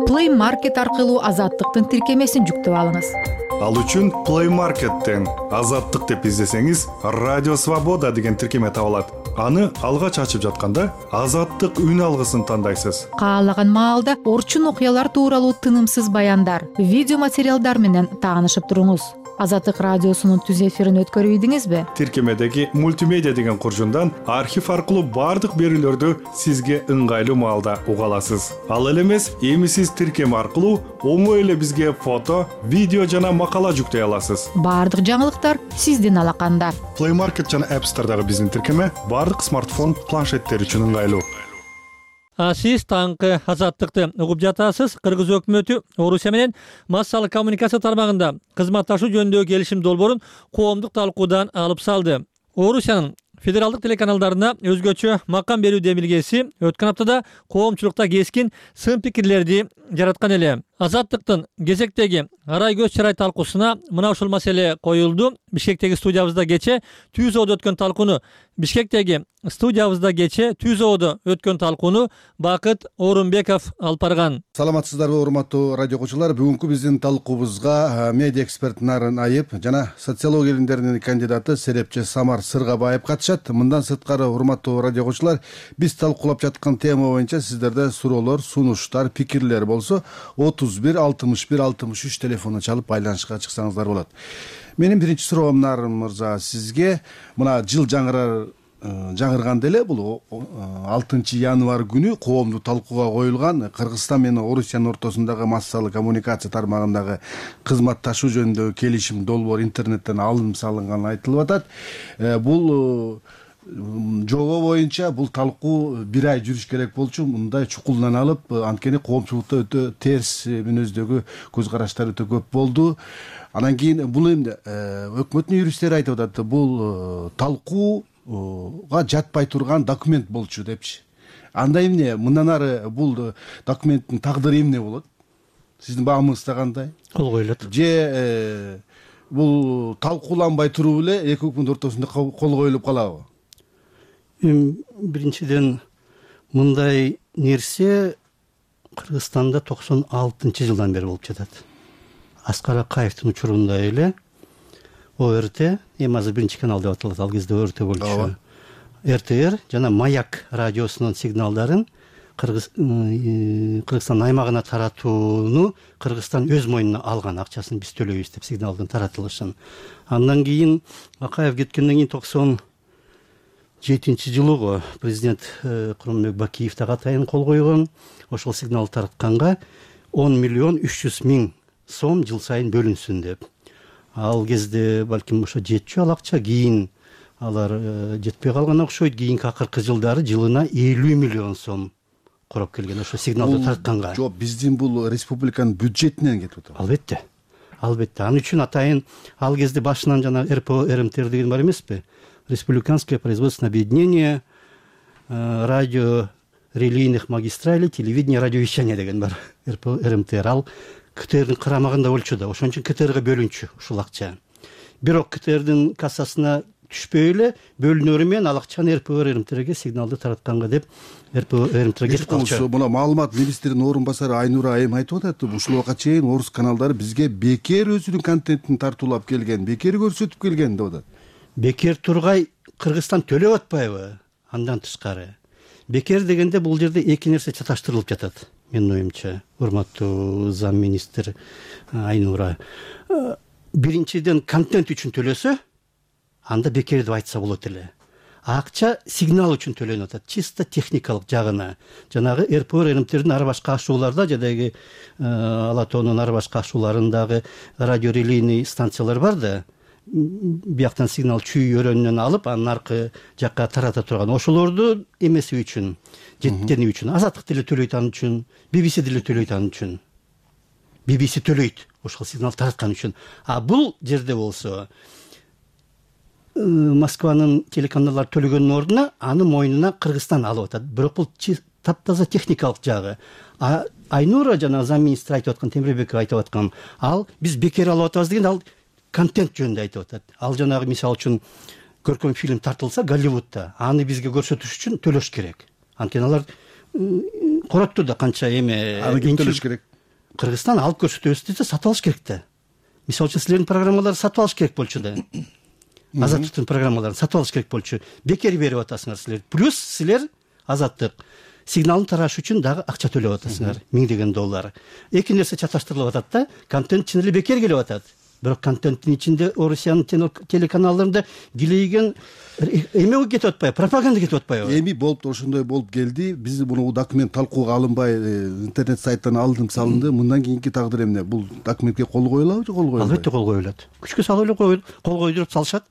S22: Play Market аркылуу Азаттыктын тиркемесин жүктөп алыңыз.
S9: Ал үчүн Play Market'тен Азаттык деп издесеңиз, Радио Свобода деген тиркеме табылат. Аны алгач ачып жатканда Азаттык үн алгысын тандайсыз.
S22: Каалаган маалда орчун окуялар тууралуу тынымсыз баяндар, видео материалдар менен таанышып туруңуз. Азаттык радиосунун түз эфирин өткөрүп ийдиңизби?
S9: Тиркемедеги мультимедиа деген куржундан архив аркылуу бардык берүүлөрдү сизге ыңгайлуу маалда уга аласыз. Ал эле эмес, эми сиз тиркеме аркылуу оңой эле бизге фото, видео жана макала жүктөй аласыз.
S22: Бардык жаңылыктар сиздин алаканда.
S9: Play Market жана App Store'дагы биздин тиркеме бардык смартфон, планшеттер үчүн ыңгайлуу.
S10: Сиз таңкы Азаттыкты угуп жатасыз. Кыргыз өкмөтү Орусия менен массалык коммуникация тармагында кызматташуу жөнүндөгү келишим долбоорун коомдук талкуудан алып салды. Орусиянын федералдык телеканалдарына өзгөчө макам берүү демилгеси өткөн аптада коомчулукта кескин сын пикирлерди жараткан эле. Азаттыктын кезектеги арай көз чырай талкуусуна мына ушул маселе коюлду. Бишкектеги студиябызда кече Түзөөдө өткөн талкууну Бишкектеги студиябызда кече Түзөөдө өткөн талкууну Бакыт Орунбеков алып барган.
S23: Саламатсыздарбы, урматтуу радио окуучулар? Бүгүнкү биздин талкуубузга медиа эксперт Нарын Айып жана социология илимдеринин кандидаты серепчи Самар Сыргабаев катышат. Мындан сырткары, урматтуу радио окуучулар, биз талкуулап жаткан тема боюнча сиздерде суроолор, сунуштар, пикирлер болсо отуз бир алтымыш бир алтымыш үч телефону чалып байланышка чыксаңыздар болот. Менин биринчи суроом Нарын мырза сизге. Мына жыл жаңырар жаңырганда эле бул алтынчы январь күнү коомдук талкууга коюлган Кыргызстан менен Орусиянын ортосундагы массалык коммуникация тармагындагы кызматташуу жөнүндөгү келишим долбоор интернеттен алынып салынганы айтылып атат. Бул жобо боюнча бул талкуу бир ай жүрүш керек болчу. Мындай чукулданып, анткени коомчулукта өтө терс мүнөздөгү көз караштар өтө көп болду. Анан кийин бул эмне өкмөттүн юристтери айтып атат, бул талкууга жатпай турган документ болчу депчи. Анда эмне, мындан ары бул документтин тагдыры эмне болот? Сиздин баамыңызда кандай?
S21: Кол коюлат.
S23: Же бул талкууланбай туруп эле эки өкмөт ортосунда кол коюлуп калабы?
S21: Биринчиден, мындай нерсе Кыргызстанда токсон алтынчы жылдан бери болуп жатат. Аскар Акаевдин учурунда эле О Р Т, эми азыр биринчи канал деп аталат, ал кезде О Р Т болчу. Р Т Р жана Маяк радиосунун сигналдарын Кыргызстан аймагына таратууну Кыргызстан өз мойнуна алган, акчасын биз төлөйбүз деп сигналдын таратылышын. Андан кийин Акаев кеткенден кийин токсон жетинчи жылы президент Курманбек Бакиев дагы атайын кол койгон. Ошол сигнал таратканга он миллион үч жүз миң сом жыл сайын бөлүнсүн деп. Ал кезде балким ошо жетчү ал акча, кийин алар жетпей калган окшойт. Кийинки акыркы жылдары жылына элүү миллион сом короп келген ошо сигналды таратканга.
S23: Жок, биздин бул республиканын бюджетинен кетип атат.
S21: Албетте. Албетте. Ал үчүн атайын ал кезде башынан жана Р П О Р М Т Р деген бар эмеспи? Республиканское производственное объединение радио релейных магистралей телевидения радиовещания деген бар. Р П О Р М Т Р ал К Т Рдин карамагында болчу да, ошон үчүн К Т Рга бөлүнчү ушул акча. Бирок К Т Рдин кассасына түшпөй эле бөлүнөрү менен ал акчаны Р П О Р М Т Рге сигналды таратканга деп Р П О Р М Т Р кетип калчу.
S23: Мына маалымат министринин орун басары Айнура Айым айтып атат, ушул убакка чейин орус каналдары бизге бекер өзүнүн контентин тартуулап келген, бекер көрсөтүп келген деп атат.
S21: Бекер тургай Кыргызстан төлөп атпайбы? Андан тышкары бекер дегенде бул жерде эки нерсе чаташтырылып жатат менин оюмча, урматтуу зам министр Айнура. Биринчиден, контент үчүн төлөсө, анда бекер деп айтса болот эле. Акча сигнал үчүн төлөнүп атат, чисто техникалык жагына. Жанагы эр пэ эр РМТдин ар башка ашууларда, жадагы Ала тоонун ар башка ашууларындагы радиорелейный станциялар бар да, бияктан сигнал чүй өрөөнүнөн алып, анын аркы жакка тарата турган. Ошолорду эмеси үчүн, жеткени үчүн, Азаттык деле төлөйт ан үчүн, би би си деле төлөйт ан үчүн. би би си төлөйт ошол сигнал тараткан үчүн. А бул жерде болсо Москванын телеканалдары төлөгөнүн ордуна аны мойнуна Кыргызстан алып атат. Бирок бул таптаза техникалык жагы. А Айнура жана зам министр айтып аткан, Темирбеков айтып аткан, ал биз бекер алып атабыз деген, ал контент жөнүндө айтып атат. Ал жанагы мисалы үчүн көркөм фильм тартылса Голливудта, аны бизге көрсөтүш үчүн төлөш керек. Анткени алар коротту да канча эме.
S23: Аны ким төлөш керек?
S21: Кыргызстан алып көрсөтөбүз десе сатып алыш керек да. Мисалы үчүн силердин программаларды сатып алыш керек болчу да. Азаттыктын программаларын сатып алыш керек болчу. Бекер берип атасыңар силер. Плюс силер Азаттык сигналын тараш үчүн дагы акча төлөп атасыңар, миңдеген доллар. Эки нерсе чаташтырылып атат да. Контент чын эле бекер келип атат. Бирок контенттин ичинде Орусиянын телеканалдарында килейген эме кетип атпайбы, пропаганда кетип атпайбы?
S23: Эми болуп ошондой болуп келди. Биз муну документ талкууга алынбай интернет сайттан алынып салынды. Мындан кийинки тагдыр эмне? Бул документке кол коюлабы же кол коюлбайбы?
S21: Албетте кол коюлат. Күчкө салып эле кол койдуруп салышат.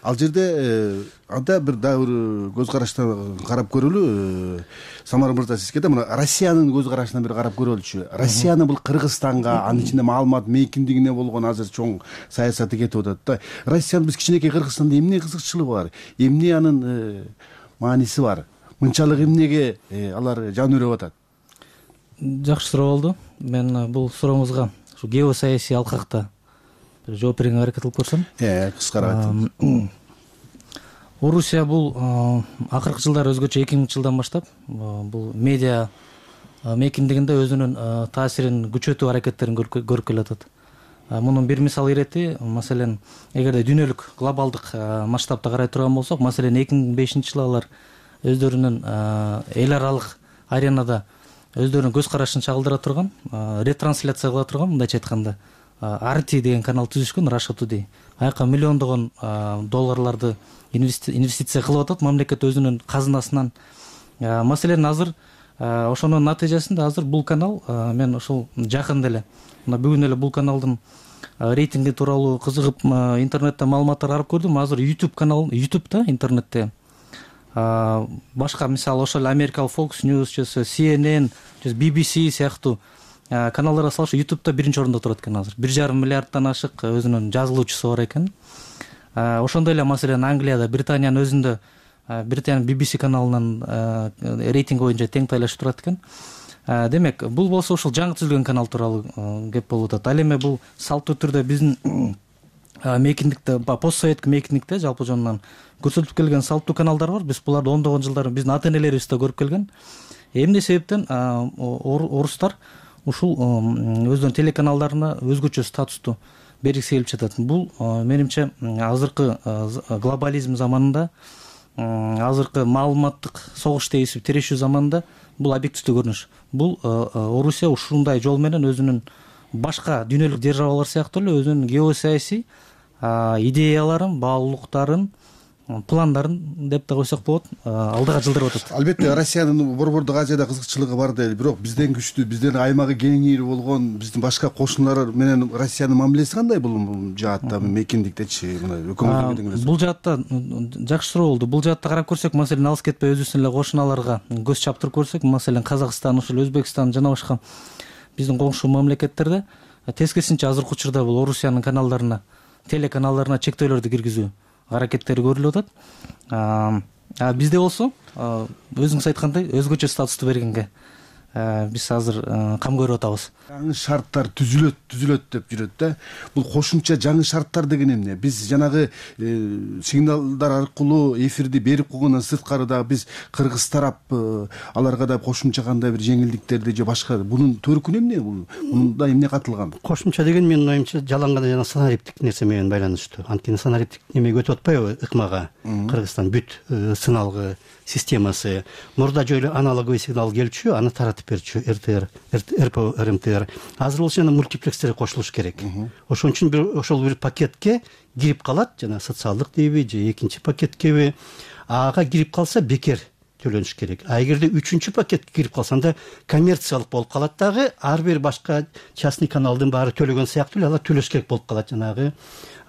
S23: Ал жерде анда бир дагы бир көз караштан карап көрөлү. Самар мырза, сизге да мына Россиянын көз карашынан бир карап көрөлүчү. Россиянын бул Кыргызстанга, анын ичинде маалымат мейкиндигине болгон азыр чоң саясаты кетип атат да. Россиянын биз кичинекей Кыргызстанда эмне кызыкчылыгы бар? Эмне анын мааниси бар? Мынчалык эмнеге алар жан өрөп атат?
S2: Жакшы суроо болду. Мен бул сурооңузга ушу геосаясий алкакта жооп берүүгө аракет кылып көрсөм.
S23: Э, кыскараак айтыңыз.
S2: Орусия бул акыркы жылдары өзгөчө эки миңинчи жылдан баштап бул медиа мейкиндигинде өзүнүн таасирин күчөтүү аракеттерин көрүп келатат. Мунун бир мисал ирети, маселен, эгерде дүйнөлүк глобалдык масштабта карай турган болсок, маселен эки миң бешинчи жылы алар өздөрүнүн эл аралык аренада өздөрүнүн көз карашын чагылдыра турган, ретрансляция кыла турган, мындайча айтканда ар ти деген канал түзүшкөн, Russia Today. Аяка миллиондогон долларларды инвестиция кылып атат мамлекет өзүнүн казынасынан. Маселен, азыр ошонун натыйжасында азыр бул канал, мен ошол жакында эле, мына бүгүн эле бул каналдын рейтинги тууралуу кызыгып интернетте маалыматтар карап көрдүм. Азыр YouTube канал, YouTube'да интернетте башка мисалы ошол америкалык Fox News, си эн эн, би би си сыяктуу каналдарга салыш YouTube'да биринчи орунда турат экен азыр. бир жарым миллиардтан ашык өзүнүн жазылуучусу бар экен. Ошондой эле маселен Англияда, Британиянын өзүндө Британиянын би би си каналынын рейтинги боюнча тең тайлашып турат экен. Демек, бул болсо ушул жаңы түзүлгөн канал тууралуу кеп болуп атат. Ал эми бул салттуу түрдө биздин мейкиндикте, постсоветтик мейкиндикте жалпы жонунан көрсөтүп келген салттуу каналдар бар. Биз буларды ондогон жылдар биздин ата-энелерибиз да көрүп келген. Эмне себептен орустар ушул өздөрүнүн телеканалдарына өзгөчө статусту бергиси келип жатат. Бул менимче азыркы глобализм заманында, азыркы маалыматтык согуш дегисип тирешүү заманында бул объективдүү көрүнүш. Бул Орусия ушундай жол менен өзүнүн башка дүйнөлүк державалар сыяктуу эле өзүнүн геосаясий идеяларын, баалуулуктарын, пландарын деп да койсок болот, алдыга жылдырып атат.
S23: Албетте, Россиянын Борбордук Азияда кызыкчылыгы бар дейли, бирок бизден күчтүү, бизден аймагы кеңири болгон биздин башка кошуналар менен Россиянын мамилеси кандай бул жаатта, мейкиндиктечи, мына өкмөттүк?
S2: Бул жаатта жакшы суроо болду. Бул жаатта карап көрсөк, маселен, алыс кетпей өзүбүздүн эле кошуналарга көз чаптырып көрсөк, маселен, Казакстан, ушул Өзбекстан жана башка биздин коңшу мамлекеттерде тескерисинче азыркы учурда бул Орусиянын каналдарына, телеканалдарына чектөөлөрдү киргизүү аракеттери көрүлүп атат. А бизде болсо, өзүңүз айткандай, өзгөчө статусту бергенге биз азыр кам көрүп атабыз.
S23: Жаңы шарттар түзүлөт түзүлөт деп жүрөт да. Бул кошумча жаңы шарттар деген эмне? Биз жанагы сигналдар аркылуу эфирди берип койгондон сырткары дагы биз кыргыз тарап аларга да кошумча кандай бир жеңилдиктерди же башка бунун төркүнү эмне? Мунда эмне катылган?
S21: Кошумча деген менин оюмча жалаң гана жана санариптик нерсе менен байланыштуу. Анткени санариптик немеге өтүп атпайбы ыкмага? Кыргызстан бүт сыналгы системасы мурда жөн эле аналоговый сигнал келчү, аны таратып берчү РТР, РПО, РМТР. Азыр болсо жана мультиплекстерге кошулуш керек. Ошон үчүн бир ошол бир пакетке кирип калат, жана социалдык дейби же экинчи пакеткеби. Ага кирип калса бекер төлөнүш керек. А эгерде үчүнчү пакетке кирип калса анда коммерциялык болуп калат дагы, ар бир башка частный каналдын баары төлөгөн сыяктуу эле алар төлөш керек болуп калат жанагы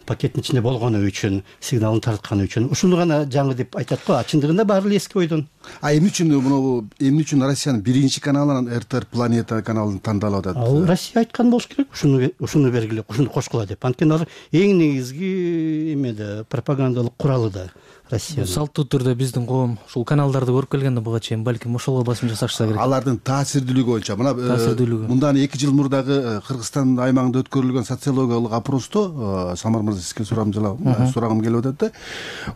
S21: пакеттин ичинде болгону үчүн, сигналын тартканы үчүн. Ушуну гана жаңы деп айтат го, а чындыгында баары эле эски ойдон.
S23: А эмне үчүн муну эмне үчүн Россиянын биринчи каналынан РТР Планета каналын тандалып атат?
S21: Ал Россия айткан болуш керек, ушуну ушуну бергиле, ушуну кошкула деп. Анткени алар эң негизги эме да, пропагандалык куралы да Россия.
S2: Салттуу түрдө биздин коом ушул каналдарды көрүп келгенде буга чейин балким ошолго басым жасашса керек.
S23: Алардын таасирдүүлүгү боюнча мына мындан эки жыл мурдагы Кыргызстан аймагында өткөрүлгөн социологиялык опросто Самар мырза сизге сурагым келип атат да.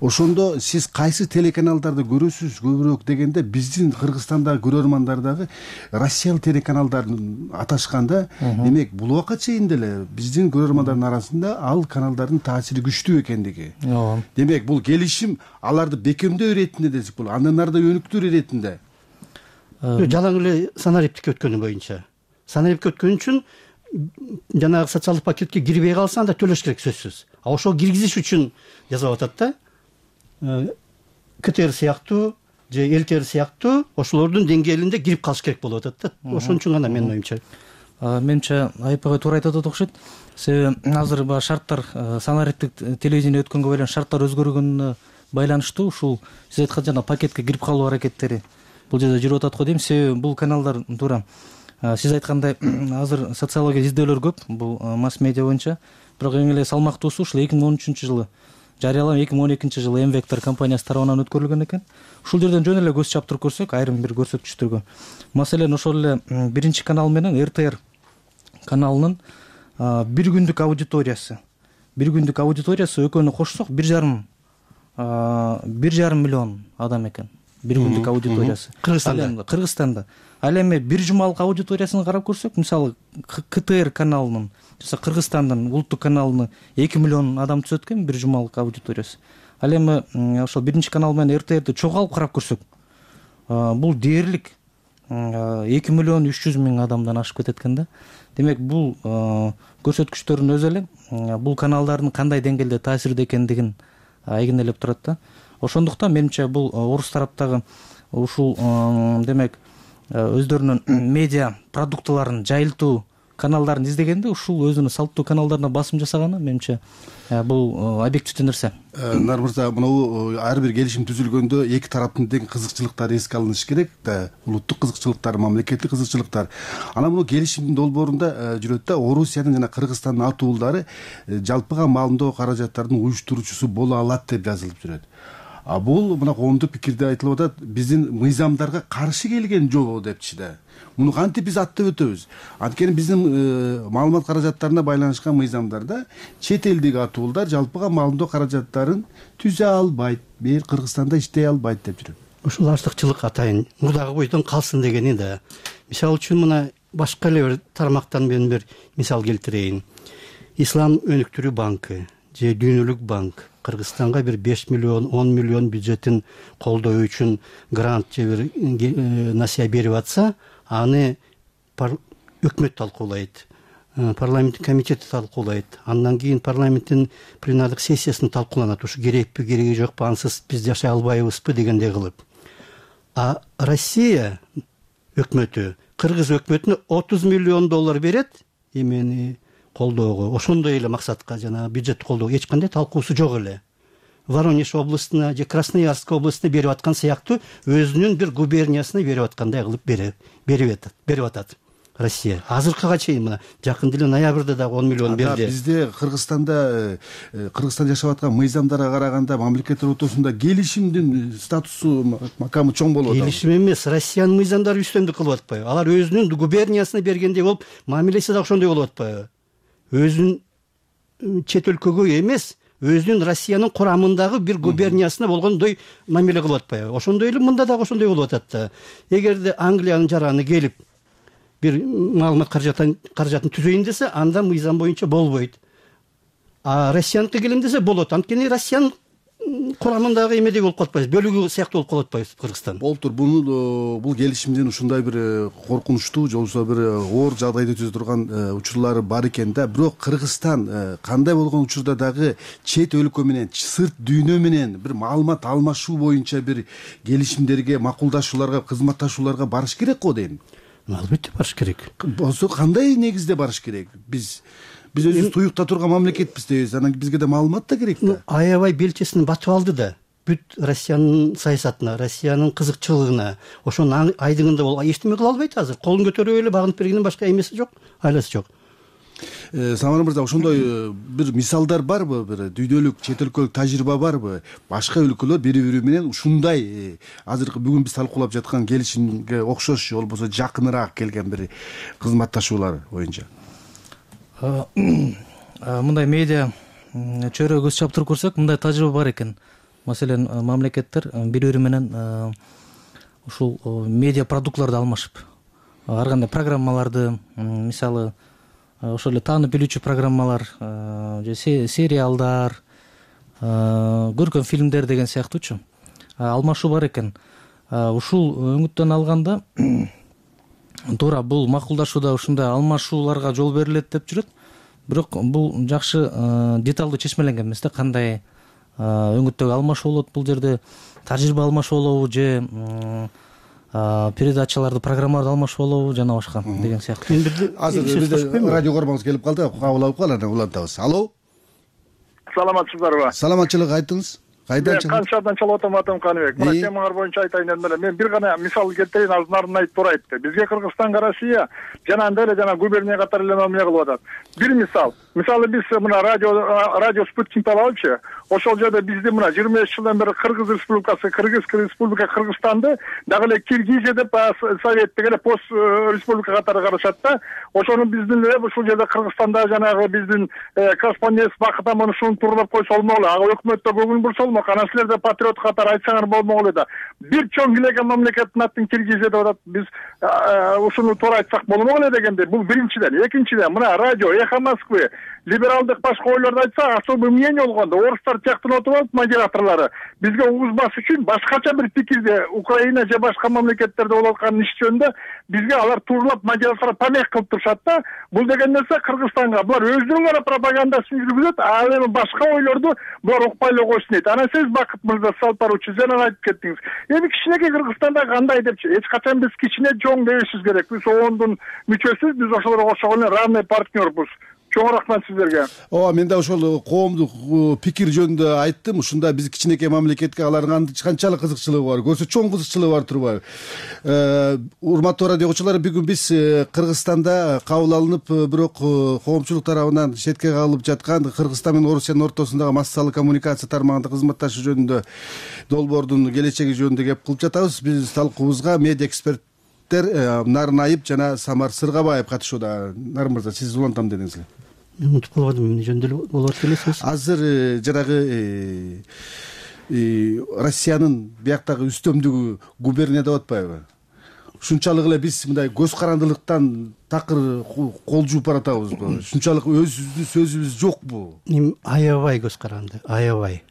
S23: Ошондо сиз кайсы телеканалдарды көрөсүз көбүрөөк дегенде биздин Кыргызстандагы көрөрмандар дагы Россиялык телеканалдарын аташканда, демек бул убакка чейин деле биздин көрөрмандардын арасында ал каналдардын таасири күчтүү экендиги. Демек бул келишим аларды бекемдөө иретинде десек болот, андан ары да өнүктүрүү иретинде.
S21: Жалаң эле санариптикке өткөнү боюнча. Санариптикке өткөн үчүн жанагы социалдык пакетке кирбей калса анда төлөш керек сөзсүз. А ошол киргизиш үчүн жазып атат да. КТР сыяктуу же ЛТР сыяктуу ошолордун деңгээлинде кирип калыш керек болуп атат да. Ошон үчүн гана менин оюмча.
S2: Менимче Айпагай туура айтып атат окшойт. Себеби азыр баягы шарттар санариптик телевидение өткөнгө байланыш шарттар өзгөргөнүнө байланыштуу ушул сиз айткан жана пакетке кирип калуу аракеттери бул жерде жүрүп атат го дейм. Себеби бул каналдар туура сиз айткандай азыр социология издөөлөр көп бул масс медиа боюнча. Бирок эң эле салмактуусу ушул эки миң он үчүнчү жылы жарыяланып эки миң он экинчи жылы М-Вектор компаниясы тарабынан өткөрүлгөн экен. Ушул жерден жөн эле көз чаптырып көрсөк, айрым бир көрсөткүчтөргө. Маселен, ошол эле биринчи канал менен РТР каналынын бир күндүк аудиториясы, бир күндүк аудиториясы экөөнү кошсок бир жарым бир жарым миллион адам экен. Бир күндүк аудиториясы.
S21: Кыргызстанда.
S2: Кыргызстанда. Ал эми бир жумалык аудиториясын карап көрсөк, мисалы КТР каналынын жана Кыргызстандын улуттук каналыны эки миллион адам түзөт экен бир жумалык аудиториясы. Ал эми ошол биринчи канал менен РТРди чогуу алып карап көрсөк, бул дээрлик эки миллион үч жүз миң адамдан ашып кетет экен да. Демек бул көрсөткүчтөрдүн өзү эле бул каналдардын кандай деңгээлде таасирде экендигин айгинелеп турат да. Ошондуктан менимче бул орус тараптагы ушул демек өздөрүнүн медиа продуктыларын жайылтуу каналдарын издегенде ушул өзүнүн салттуу каналдарына басым жасаганы менимче бул объективдүү нерсе.
S23: Нар мырза, мына ар бир келишим түзүлгөндө эки тараптын тең кызыкчылыктары эске алыныш керек да, улуттук кызыкчылыктар, мамлекеттик кызыкчылыктар. Анан мына келишимдин долбоорунда жүрөт да, Орусиянын жана Кыргызстандын атуулдары жалпыга маалымдоо каражаттарынын уюштуруучусу боло алат деп жазылып жүрөт. А бул мына коомдук пикирде айтылып атат, биздин мыйзамдарга каршы келген жобо депчи да. Муну кантип биз аттап өтөбүз? Анткени биздин маалымат каражаттарына байланышкан мыйзамдарда чет элдик атуулдар жалпыга маалымдоо каражаттарын түзө албайт, бир Кыргызстанда иштей албайт деп жүрөт.
S21: Ушул артыкчылык атайын мурдагы бойдон калсын дегени да. Мисалы үчүн мына башка эле бир тармактан мен бир мисал келтирейин. Ислам өнүктүрүү банкы же Дүйнөлүк банк Кыргызстанга бир беш миллион он миллион бюджетин колдоо үчүн грант же бир насыя берип атса, аны өкмөт талкуулайт, парламенттин комитети талкуулайт, андан кийин парламенттин пленардык сессиясында талкууланат. Ушу керекпи, кереги жокпу, ансыз биз жашай албайбызбы дегендей кылып. А Россия өкмөтү кыргыз өкмөтүнө отуз миллион доллар берет эмени колдоого. Ошондой эле максатка жана бюджетти колдоого эч кандай талкуусу жок эле. Воронеж областына же Красноярск областына берип аткан сыяктуу өзүнүн бир губерниясына берип аткандай кылып берип берип атат. Россия азыркыга чейин мына жакында эле ноябрда дагы он миллион берди.
S23: Бизде Кыргызстанда Кыргызстанда жашап аткан мыйзамдарга караганда мамлекеттер ортосунда келишимдин статусу макамы чоң болуп атат.
S21: Келишим эмес, Россиянын мыйзамдары үстөмдүк кылып атпайбы? Алар өзүнүн губерниясына бергендей болуп, мамилеси да ошондой болуп атпайбы? Өзүнүн чет өлкөгө эмес, өзүнүн Россиянын курамындагы бир губерниясына болгондой мамиле кылып атпайбы? Ошондой эле мында дагы ошондой болуп атат да. Эгерде Англиянын жараны келип бир маалымат каражатын каражатын түзөйүн десе, анда мыйзам боюнча болбойт. А Россияныкы келем десе болот. Анткени Россиянын курамындагы эмедей болуп калатпайбыз, бөлүгү сыяктуу болуп калатпайбыз Кыргызстан.
S23: Болуптур. Бул бул келишимдин ушундай бир коркунучтуу же болбосо бир оор жагдайды түзө турган учурлары бар экен да. Бирок Кыргызстан кандай болгон учурда дагы чет өлкө менен, сырт дүйнө менен бир маалымат алмашуу боюнча бир келишимдерге, макулдашууларга, кызматташууларга барыш керек го дейм.
S21: Албетте барыш керек.
S23: Болсо кандай негизде барыш керек? Биз биз өзүбүз туюкта турган мамлекетпиз дейбиз. Анан бизге да маалымат да керек да.
S21: Аябай белчесин батып алды да. Бүт Россиянын саясатына, Россиянын кызыкчылыгына, ошонун айдыгында болуп эчтеме кыла албайт азыр. Колун көтөрүп эле багынып бергенден башка эмеси жок, айласы жок.
S23: Самар мырза, ошондой бир мисалдар барбы, бир дүйнөлүк чет өлкөлүк тажрыйба барбы? Башка өлкөлөр бири-бири менен ушундай азыркы бүгүн биз талкуулап жаткан келишимге окшош же болбосо жакыныраак келген бир кызматташуулар боюнча.
S2: Мындай медиа чөйрөгө көз чаптырып көрсөк, мындай тажрыйба бар экен. Маселен, мамлекеттер бири-бири менен ушул медиа продуктларды алмашып, ар кандай программаларды, мисалы ошол эле таанып билүүчү программалар же сериалдар, көркөм фильмдер деген сыяктуучу алмашуу бар экен. Ушул өңүттөн алганда туура бул макулдашууда ушундай алмашууларга жол берилет деп жүрөт. Бирок бул жакшы деталдуу чечмеленген эмес да, кандай өңүттөгү алмашуу болот, бул жерде тажрыйба алмашуу болобу же передачаларды, программаларды алмашуу болобу жана башка деген сыяктуу.
S23: Азыр бизде радио көрмөңүз келип калды, кабыл алып калалы, улантабыз. Алло.
S6: Саламатсыздарбы?
S23: Саламатчылык, айтыңыз. Кайдан чыгып?
S6: Канчадан чалып атам, атам Каныбек. Мына темаңар боюнча айтайын дедим эле. Мен бир гана мисал келтирейин, азыр Нарын айтып туура айтты. Бизге Кыргызстанга Россия жанагындай эле жана губерния катары эле мамиле кылып атат. Бир мисал. Мисалы биз мына радио радио спутникти алалычы. Ошол жерде бизди мына жыйырма беш жылдан бери Кыргыз Республикасы, Кыргызская Республика Кыргызстанды дагы эле Киргизия деп советтик эле пост республика катары карашат да. Ошону биздин эле ушул жерде Кыргызстанда жанагы биздин корреспондент Бакыт Аман ушуну тууралап койсо болмок эле. Ага өкмөттө көңүл бурса болмок. Анан силерде патриот катары айтсаңар болмок эле да. Бир чоң килеген мамлекеттин атын Киргизия деп атат. Биз ушуну туура айтсак болмок эле дегенде. Бул биринчиден. Экинчиден, мына радио Эхо Москвы либералдык башка ойлорду айтса, особый мнение болгондо орустар тияктан отуп алып модераторлору бизге угузбаш үчүн башкача бир пикирде Украина же башка мамлекеттерде болуп аткан иш жөнүндө бизге алар тууралап модератор помех кылып турушат да. Бул деген нерсе Кыргызстанга булар өзүнүн гана пропагандасын жүргүзөт, а эми башка ойлорду булар укпай эле койсун дейт. Анан сиз Бакыт мырза салып баруучу жана айтып кеттиңиз. Эми кичинекей Кыргызстанда кандай депчи? Эч качан биз кичине чоң дебешибиз керек. Биз оондун мүчөсүбүз, биз ошолорго окшогон эле равный партнербуз. Чоң рахмат сиздерге.
S23: Ооба, мен да ошол коомдук пикир жөнүндө айттым. Ушунда биз кичинекей мамлекетке алардын канчалык кызыкчылыгы бар, көрсө чоң кызыкчылыгы бар турбайбы? Урматтуу радио окуучулар, бүгүн биз Кыргызстанда кабыл алынып, бирок коомчулук тарабынан четке калып жаткан Кыргызстан менен Орусиянын ортосундагы массалык коммуникация тармагында кызматташуу жөнүндө долбоордун келечеги жөнүндө кеп кылып жатабыз. Биз талкуубузга медиа эксперт Нарын Айып жана Самар Сыргабаев катышууда. Нарын мырза, сиз улантам дедиңиз эле.
S21: Мен унутуп калбадым, эмне жөнүндө болуп атат элесиз?
S23: Азыр жанагы Россиянын бияктагы үстөмдүгү губерния деп атпайбы? Ушунчалык эле биз мындай көз карандылыктан такыр кол жууп баратабызбы? Ушунчалык өзүбүздүн сөзүбүз жокпу?
S21: Аябай көз каранды, аябай.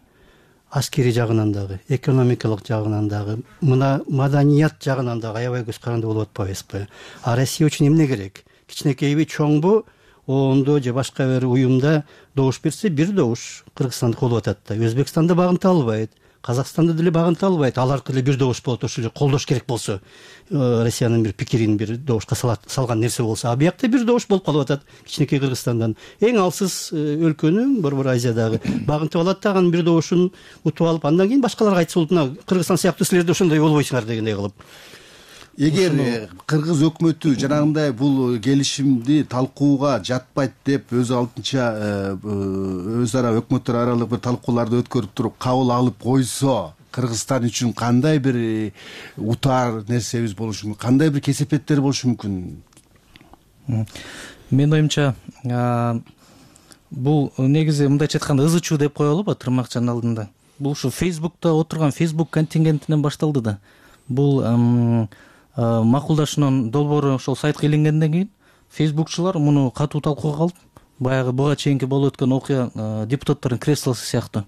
S21: Аскери жагынан дагы, экономикалык жагынан дагы, мына маданият жагынан дагы аябай көз каранды болуп атпайбызбы? А Россия үчүн эмне керек? Кичинекейби, чоңбу, оондо же башка бир уюмда добуш берсе, бир добуш Кыргызстандык болуп атат да. Өзбекстанда багынта албайт, Казакстанда деле багынта албайт. Алардыкы эле бир добуш болот, ошол эле колдош керек болсо, Россиянын бир пикирин бир добушка салган нерсе болсо, а биякта бир добуш болуп калып атат кичинекей Кыргызстандан. Эң алсыз өлкөнү Борбор Азиядагы багынтып алат да, анын бир добушун утуп алып, андан кийин башкаларга айтса болот, Кыргызстан сыяктуу силер да ошондой болбойсуңар дегендей кылып.
S23: эгер кыргыз өкмөтү жанагындай бул келишимди талкууга жатпайт деп өз алдынча өз ара өкмөттөр аралык бир талкууларды өткөрүп туруп кабыл алып койсо, Кыргызстан үчүн кандай бир утаар нерсебиз болушу мүмкүн, кандай бир кесепеттер болушу мүмкүн?
S2: Менин оюмча бул негизи мындайча айтканда ызы чуу деп коелуба тырмакчанын алдында. Бул ушу Facebook'та отурган Facebook контингентинен башталды да. Бул макулдашуунун долбоору ошол сайтка илингенден кийин Facebookчулар муну катуу талкууга алып, баягы буга чейинки болуп өткөн окуя депутаттардын креслосу сыяктуу.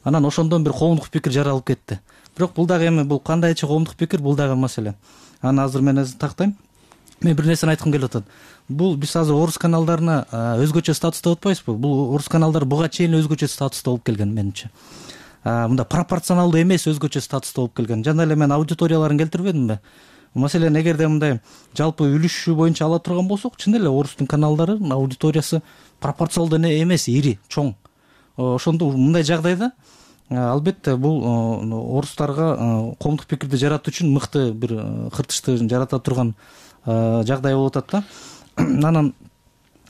S2: Анан ошондон бир коомдук пикир жаралып кетти. Бирок бул дагы эми бул кандайча коомдук пикир, бул дагы маселе. Аны азыр мен азыр тактайм. Мен бир нерсени айткым келип атат. Бул биз азыр орус каналдарына өзгөчө статуста деп атпайбызбы? Бул орус каналдар буга чейин өзгөчө статуста болуп келген менимче. Мында пропорционалдуу эмес өзгөчө статуста болуп келген. Жана эле мен аудиторияларын келтирбедимби? Маселен, эгерде мындай жалпы үлүшү боюнча ала турган болсок, чын эле орустун каналдарынын аудиториясы пропорционалдуу эмес, ири, чоң. Ошондо мындай жагдайда албетте бул орустарга коомдук пикирди жаратуу үчүн мыкты бир кыртышты жарата турган жагдай болуп атат да. Анан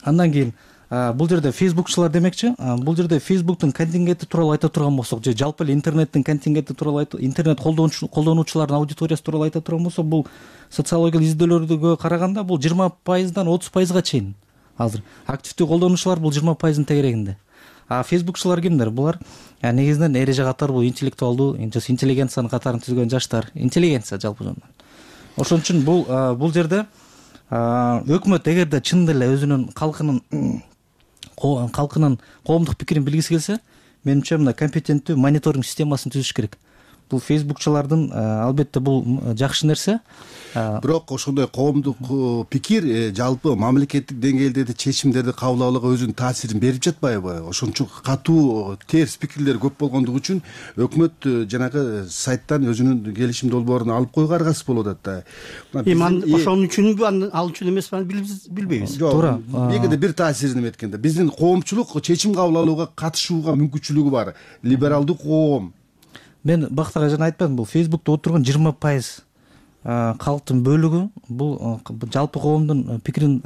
S2: андан кийин бул жерде Facebookчулар демекчи, бул жерде Facebook'тун контингенти тууралуу айта турган болсок, же жалпы эле интернеттин контингенти тууралуу, интернет колдонуучулардын аудиториясы тууралуу айта турган болсок, бул социологиялык изделөөлөргө караганда бул жыйырма пайыздан отуз пайызга чейин. Азыр активдүү колдонуучулар бул жыйырма пайыздын тегерегинде. А Facebookчулар кимдер? Булар негизинен эреже катары бул интеллектуалдуу, интеллигенциянын катарын түзгөн жаштар, интеллигенция жалпы жөнүндө. Ошон үчүн бул бул жерде өкмөт эгерде чын эле өзүнүн калкынын калкынын коомдук пикирин билгиси келсе, менимче мына компетенттүү мониторинг системасын түзүш керек. Бул Facebookчулардын албетте бул жакшы нерсе.
S23: Бирок ошондой коомдук пикир жалпы мамлекеттик деңгээлде чечимдерди кабыл алууга өзүнүн таасирин берип жатпайбы? Ошончо катуу терс пикирлер көп болгондугу үчүн өкмөт жанагы сайттан өзүнүн келишим долбоорун алып койууга аргасыз болуп атат да.
S21: Эми ошон үчүнбү, ал үчүн эмеспи, билбейбиз.
S23: Туура. Эгерде бир таасирин эметкенде биздин коомчулук чечим кабыл алууга катышууга мүмкүнчүлүгү бар. Либералдуу коом.
S2: Мен бактага жана айтпадым, бул Facebook'та отурган жыйырма пайыз калктын бөлүгү бул жалпы коомдун пикирин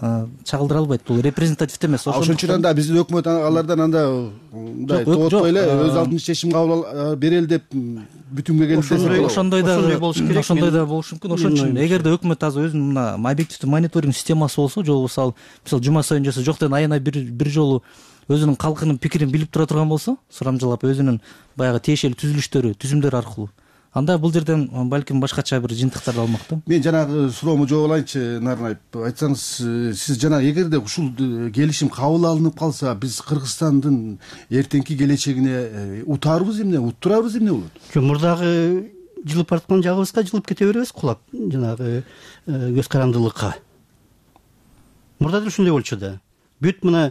S2: чагылдыра албайт. Бул репрезентативдүү эмес.
S23: Ошон үчүн анда биздин өкмөт алардан анда мындай тоотпой эле өз алдынча чечим кабыл берели деп бүтүнгө келип десе.
S2: Ошондой да болуш керек. Ошондой да болуш мүмкүн. Ошон үчүн эгерде өкмөт азыр өзүнүн мына объективдүү мониторинг системасы болсо, же болбосо мисалы жума сайын жаса жоктон айына бир бир жолу өзүнүн калкынын пикирин билип тура турган болсо, сурамжылап өзүнүн баягы тиешелүү түзүлүштөрү, түзүмдөр аркылуу, анда бул жерден балким башкача бир жыйынтыктарды алмак да.
S23: Мен жанагы суроомо жооп алайынчы, Нарынайып. Айтсаңыз, сиз жана эгерде ушул келишим кабыл алынып калса, биз Кыргызстандын эртеңки келечегине утаарбыз эмне, уттурарбыз эмне болот?
S21: Жок, мурдагы жылып бараткан жагыбызга жылып кете беребиз, кулап жанагы көз карандылыкка. Мурда да ушундай болчу да. Бүт мына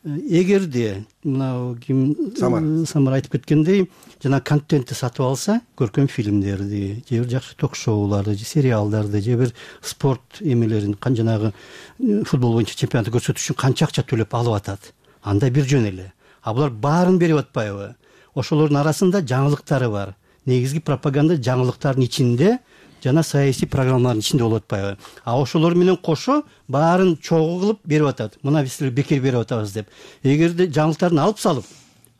S21: эгерде мына ким Самар айтып кеткендей, жана контентти сатып алса, көркөм фильмдерди, же бир жакшы ток-шоуларды, же сериалдарды, же бир спорт эмелерин, жанагы футбол боюнча чемпионатты көрсөтүш үчүн канча акча төлөп алып атат, анда бир жөн эле. А булар баарын берип атпайбы? Ошолордун арасында жаңылыктары бар. Негизги пропаганда жаңылыктардын ичинде жана саясий программалардын ичинде болуп атпайбы? А ошолор менен кошо баарын чогуу кылып берип атат. Мына биз силерге бекер берип атабыз деп. Эгерде жаңылыктарын алып салып,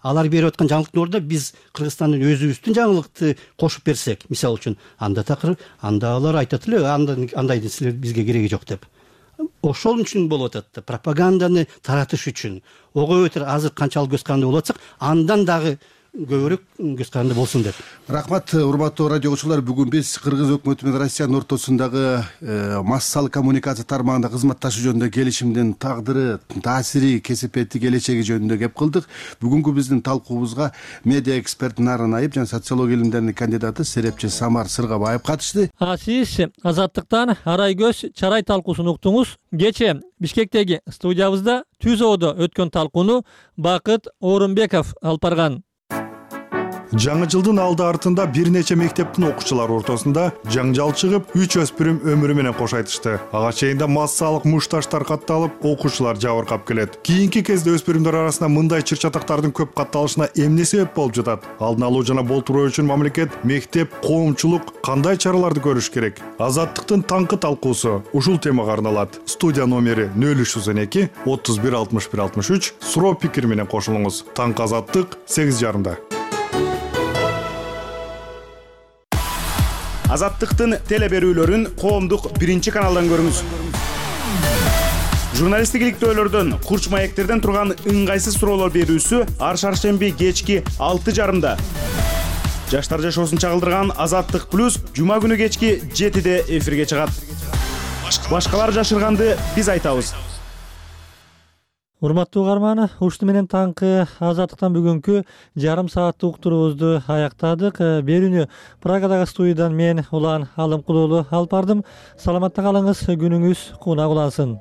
S21: алар берип аткан жаңылыктын ордуна биз Кыргызстандын өзүбүздүн жаңылыкты кошуп берсек, мисалы үчүн, анда такыр анда алар айтат эле, андайды силер бизге кереги жок деп. Ошол үчүн болуп атат да, пропаганданы таратыш үчүн. Ого өтөр азыр канчалык көз каранды болуп атсак, андан дагы көбүрөөк көз каранды болсун деп.
S23: Рахмат, урматтуу радио окуучулар. Бүгүн биз Кыргыз өкмөтү менен Россиянын ортосундагы массалык коммуникация тармагында кызматташуу жөнүндө келишимдин тагдыры, таасири, кесепети, келечеги жөнүндө кеп кылдык. Бүгүнкү биздин талкуубузга медиа эксперт Нарынайып жана социология илимдеринин кандидаты серепчи Самар Сыргабаев катышты.
S10: А сиз Азаттыктан Арай көз чарай талкуусун уктуңуз. Кече Бишкектеги студиябызда Түз Оодо өткөн талкууну Бакыт Орунбеков алып барган.
S9: жаңы жылдын алды артында бир нече мектептин окуучулары ортосунда жаңжал чыгып, үч өспүрүм өмүрү менен кош айтышты. Ага чейинде массалык мушташтар катталып, окуучулар жабыркап келет. Кийинки кезде өспүрүмдөр арасында мындай чыр-чатактардын көп катталышына эмне себеп болуп жатат? Алдын алуу жана болтуруу үчүн мамлекет, мектеп, коомчулук кандай чараларды көрүш керек? Азаттыктын таңкы талкуусу ушул темага арналат. Студия номери нөл үч жүз он эки отуз бир алтымыш бир алтымыш үч суроо пикир менен кошулуңуз. Таңкы Азаттык сегиз жарымда.
S4: Азаттыктын теле берүүлөрүн коомдук биринчи каналдан көрүңүз. Журналисттик иликтөөлөрдөн, курч маектерден турган ыңгайсыз суроолор берүүсү ар шаршемби кечки алты жарымда. Жаштар жашоосун чагылдырган Азаттык плюс жума күнү кечки жетиде эфирге чыгат. Башкалар жашырганды биз айтабыз.
S10: Урматтуу угарман, ушуну менен таңкы Азаттыктан бүгүнкү жарым сааттык уктуруубузду аяктадык. Берүүнү Прагадагы студиядан мен Улан Алымкулуулу алып бардым. Саламатта калыңыз, күнүңүз кунак улансын.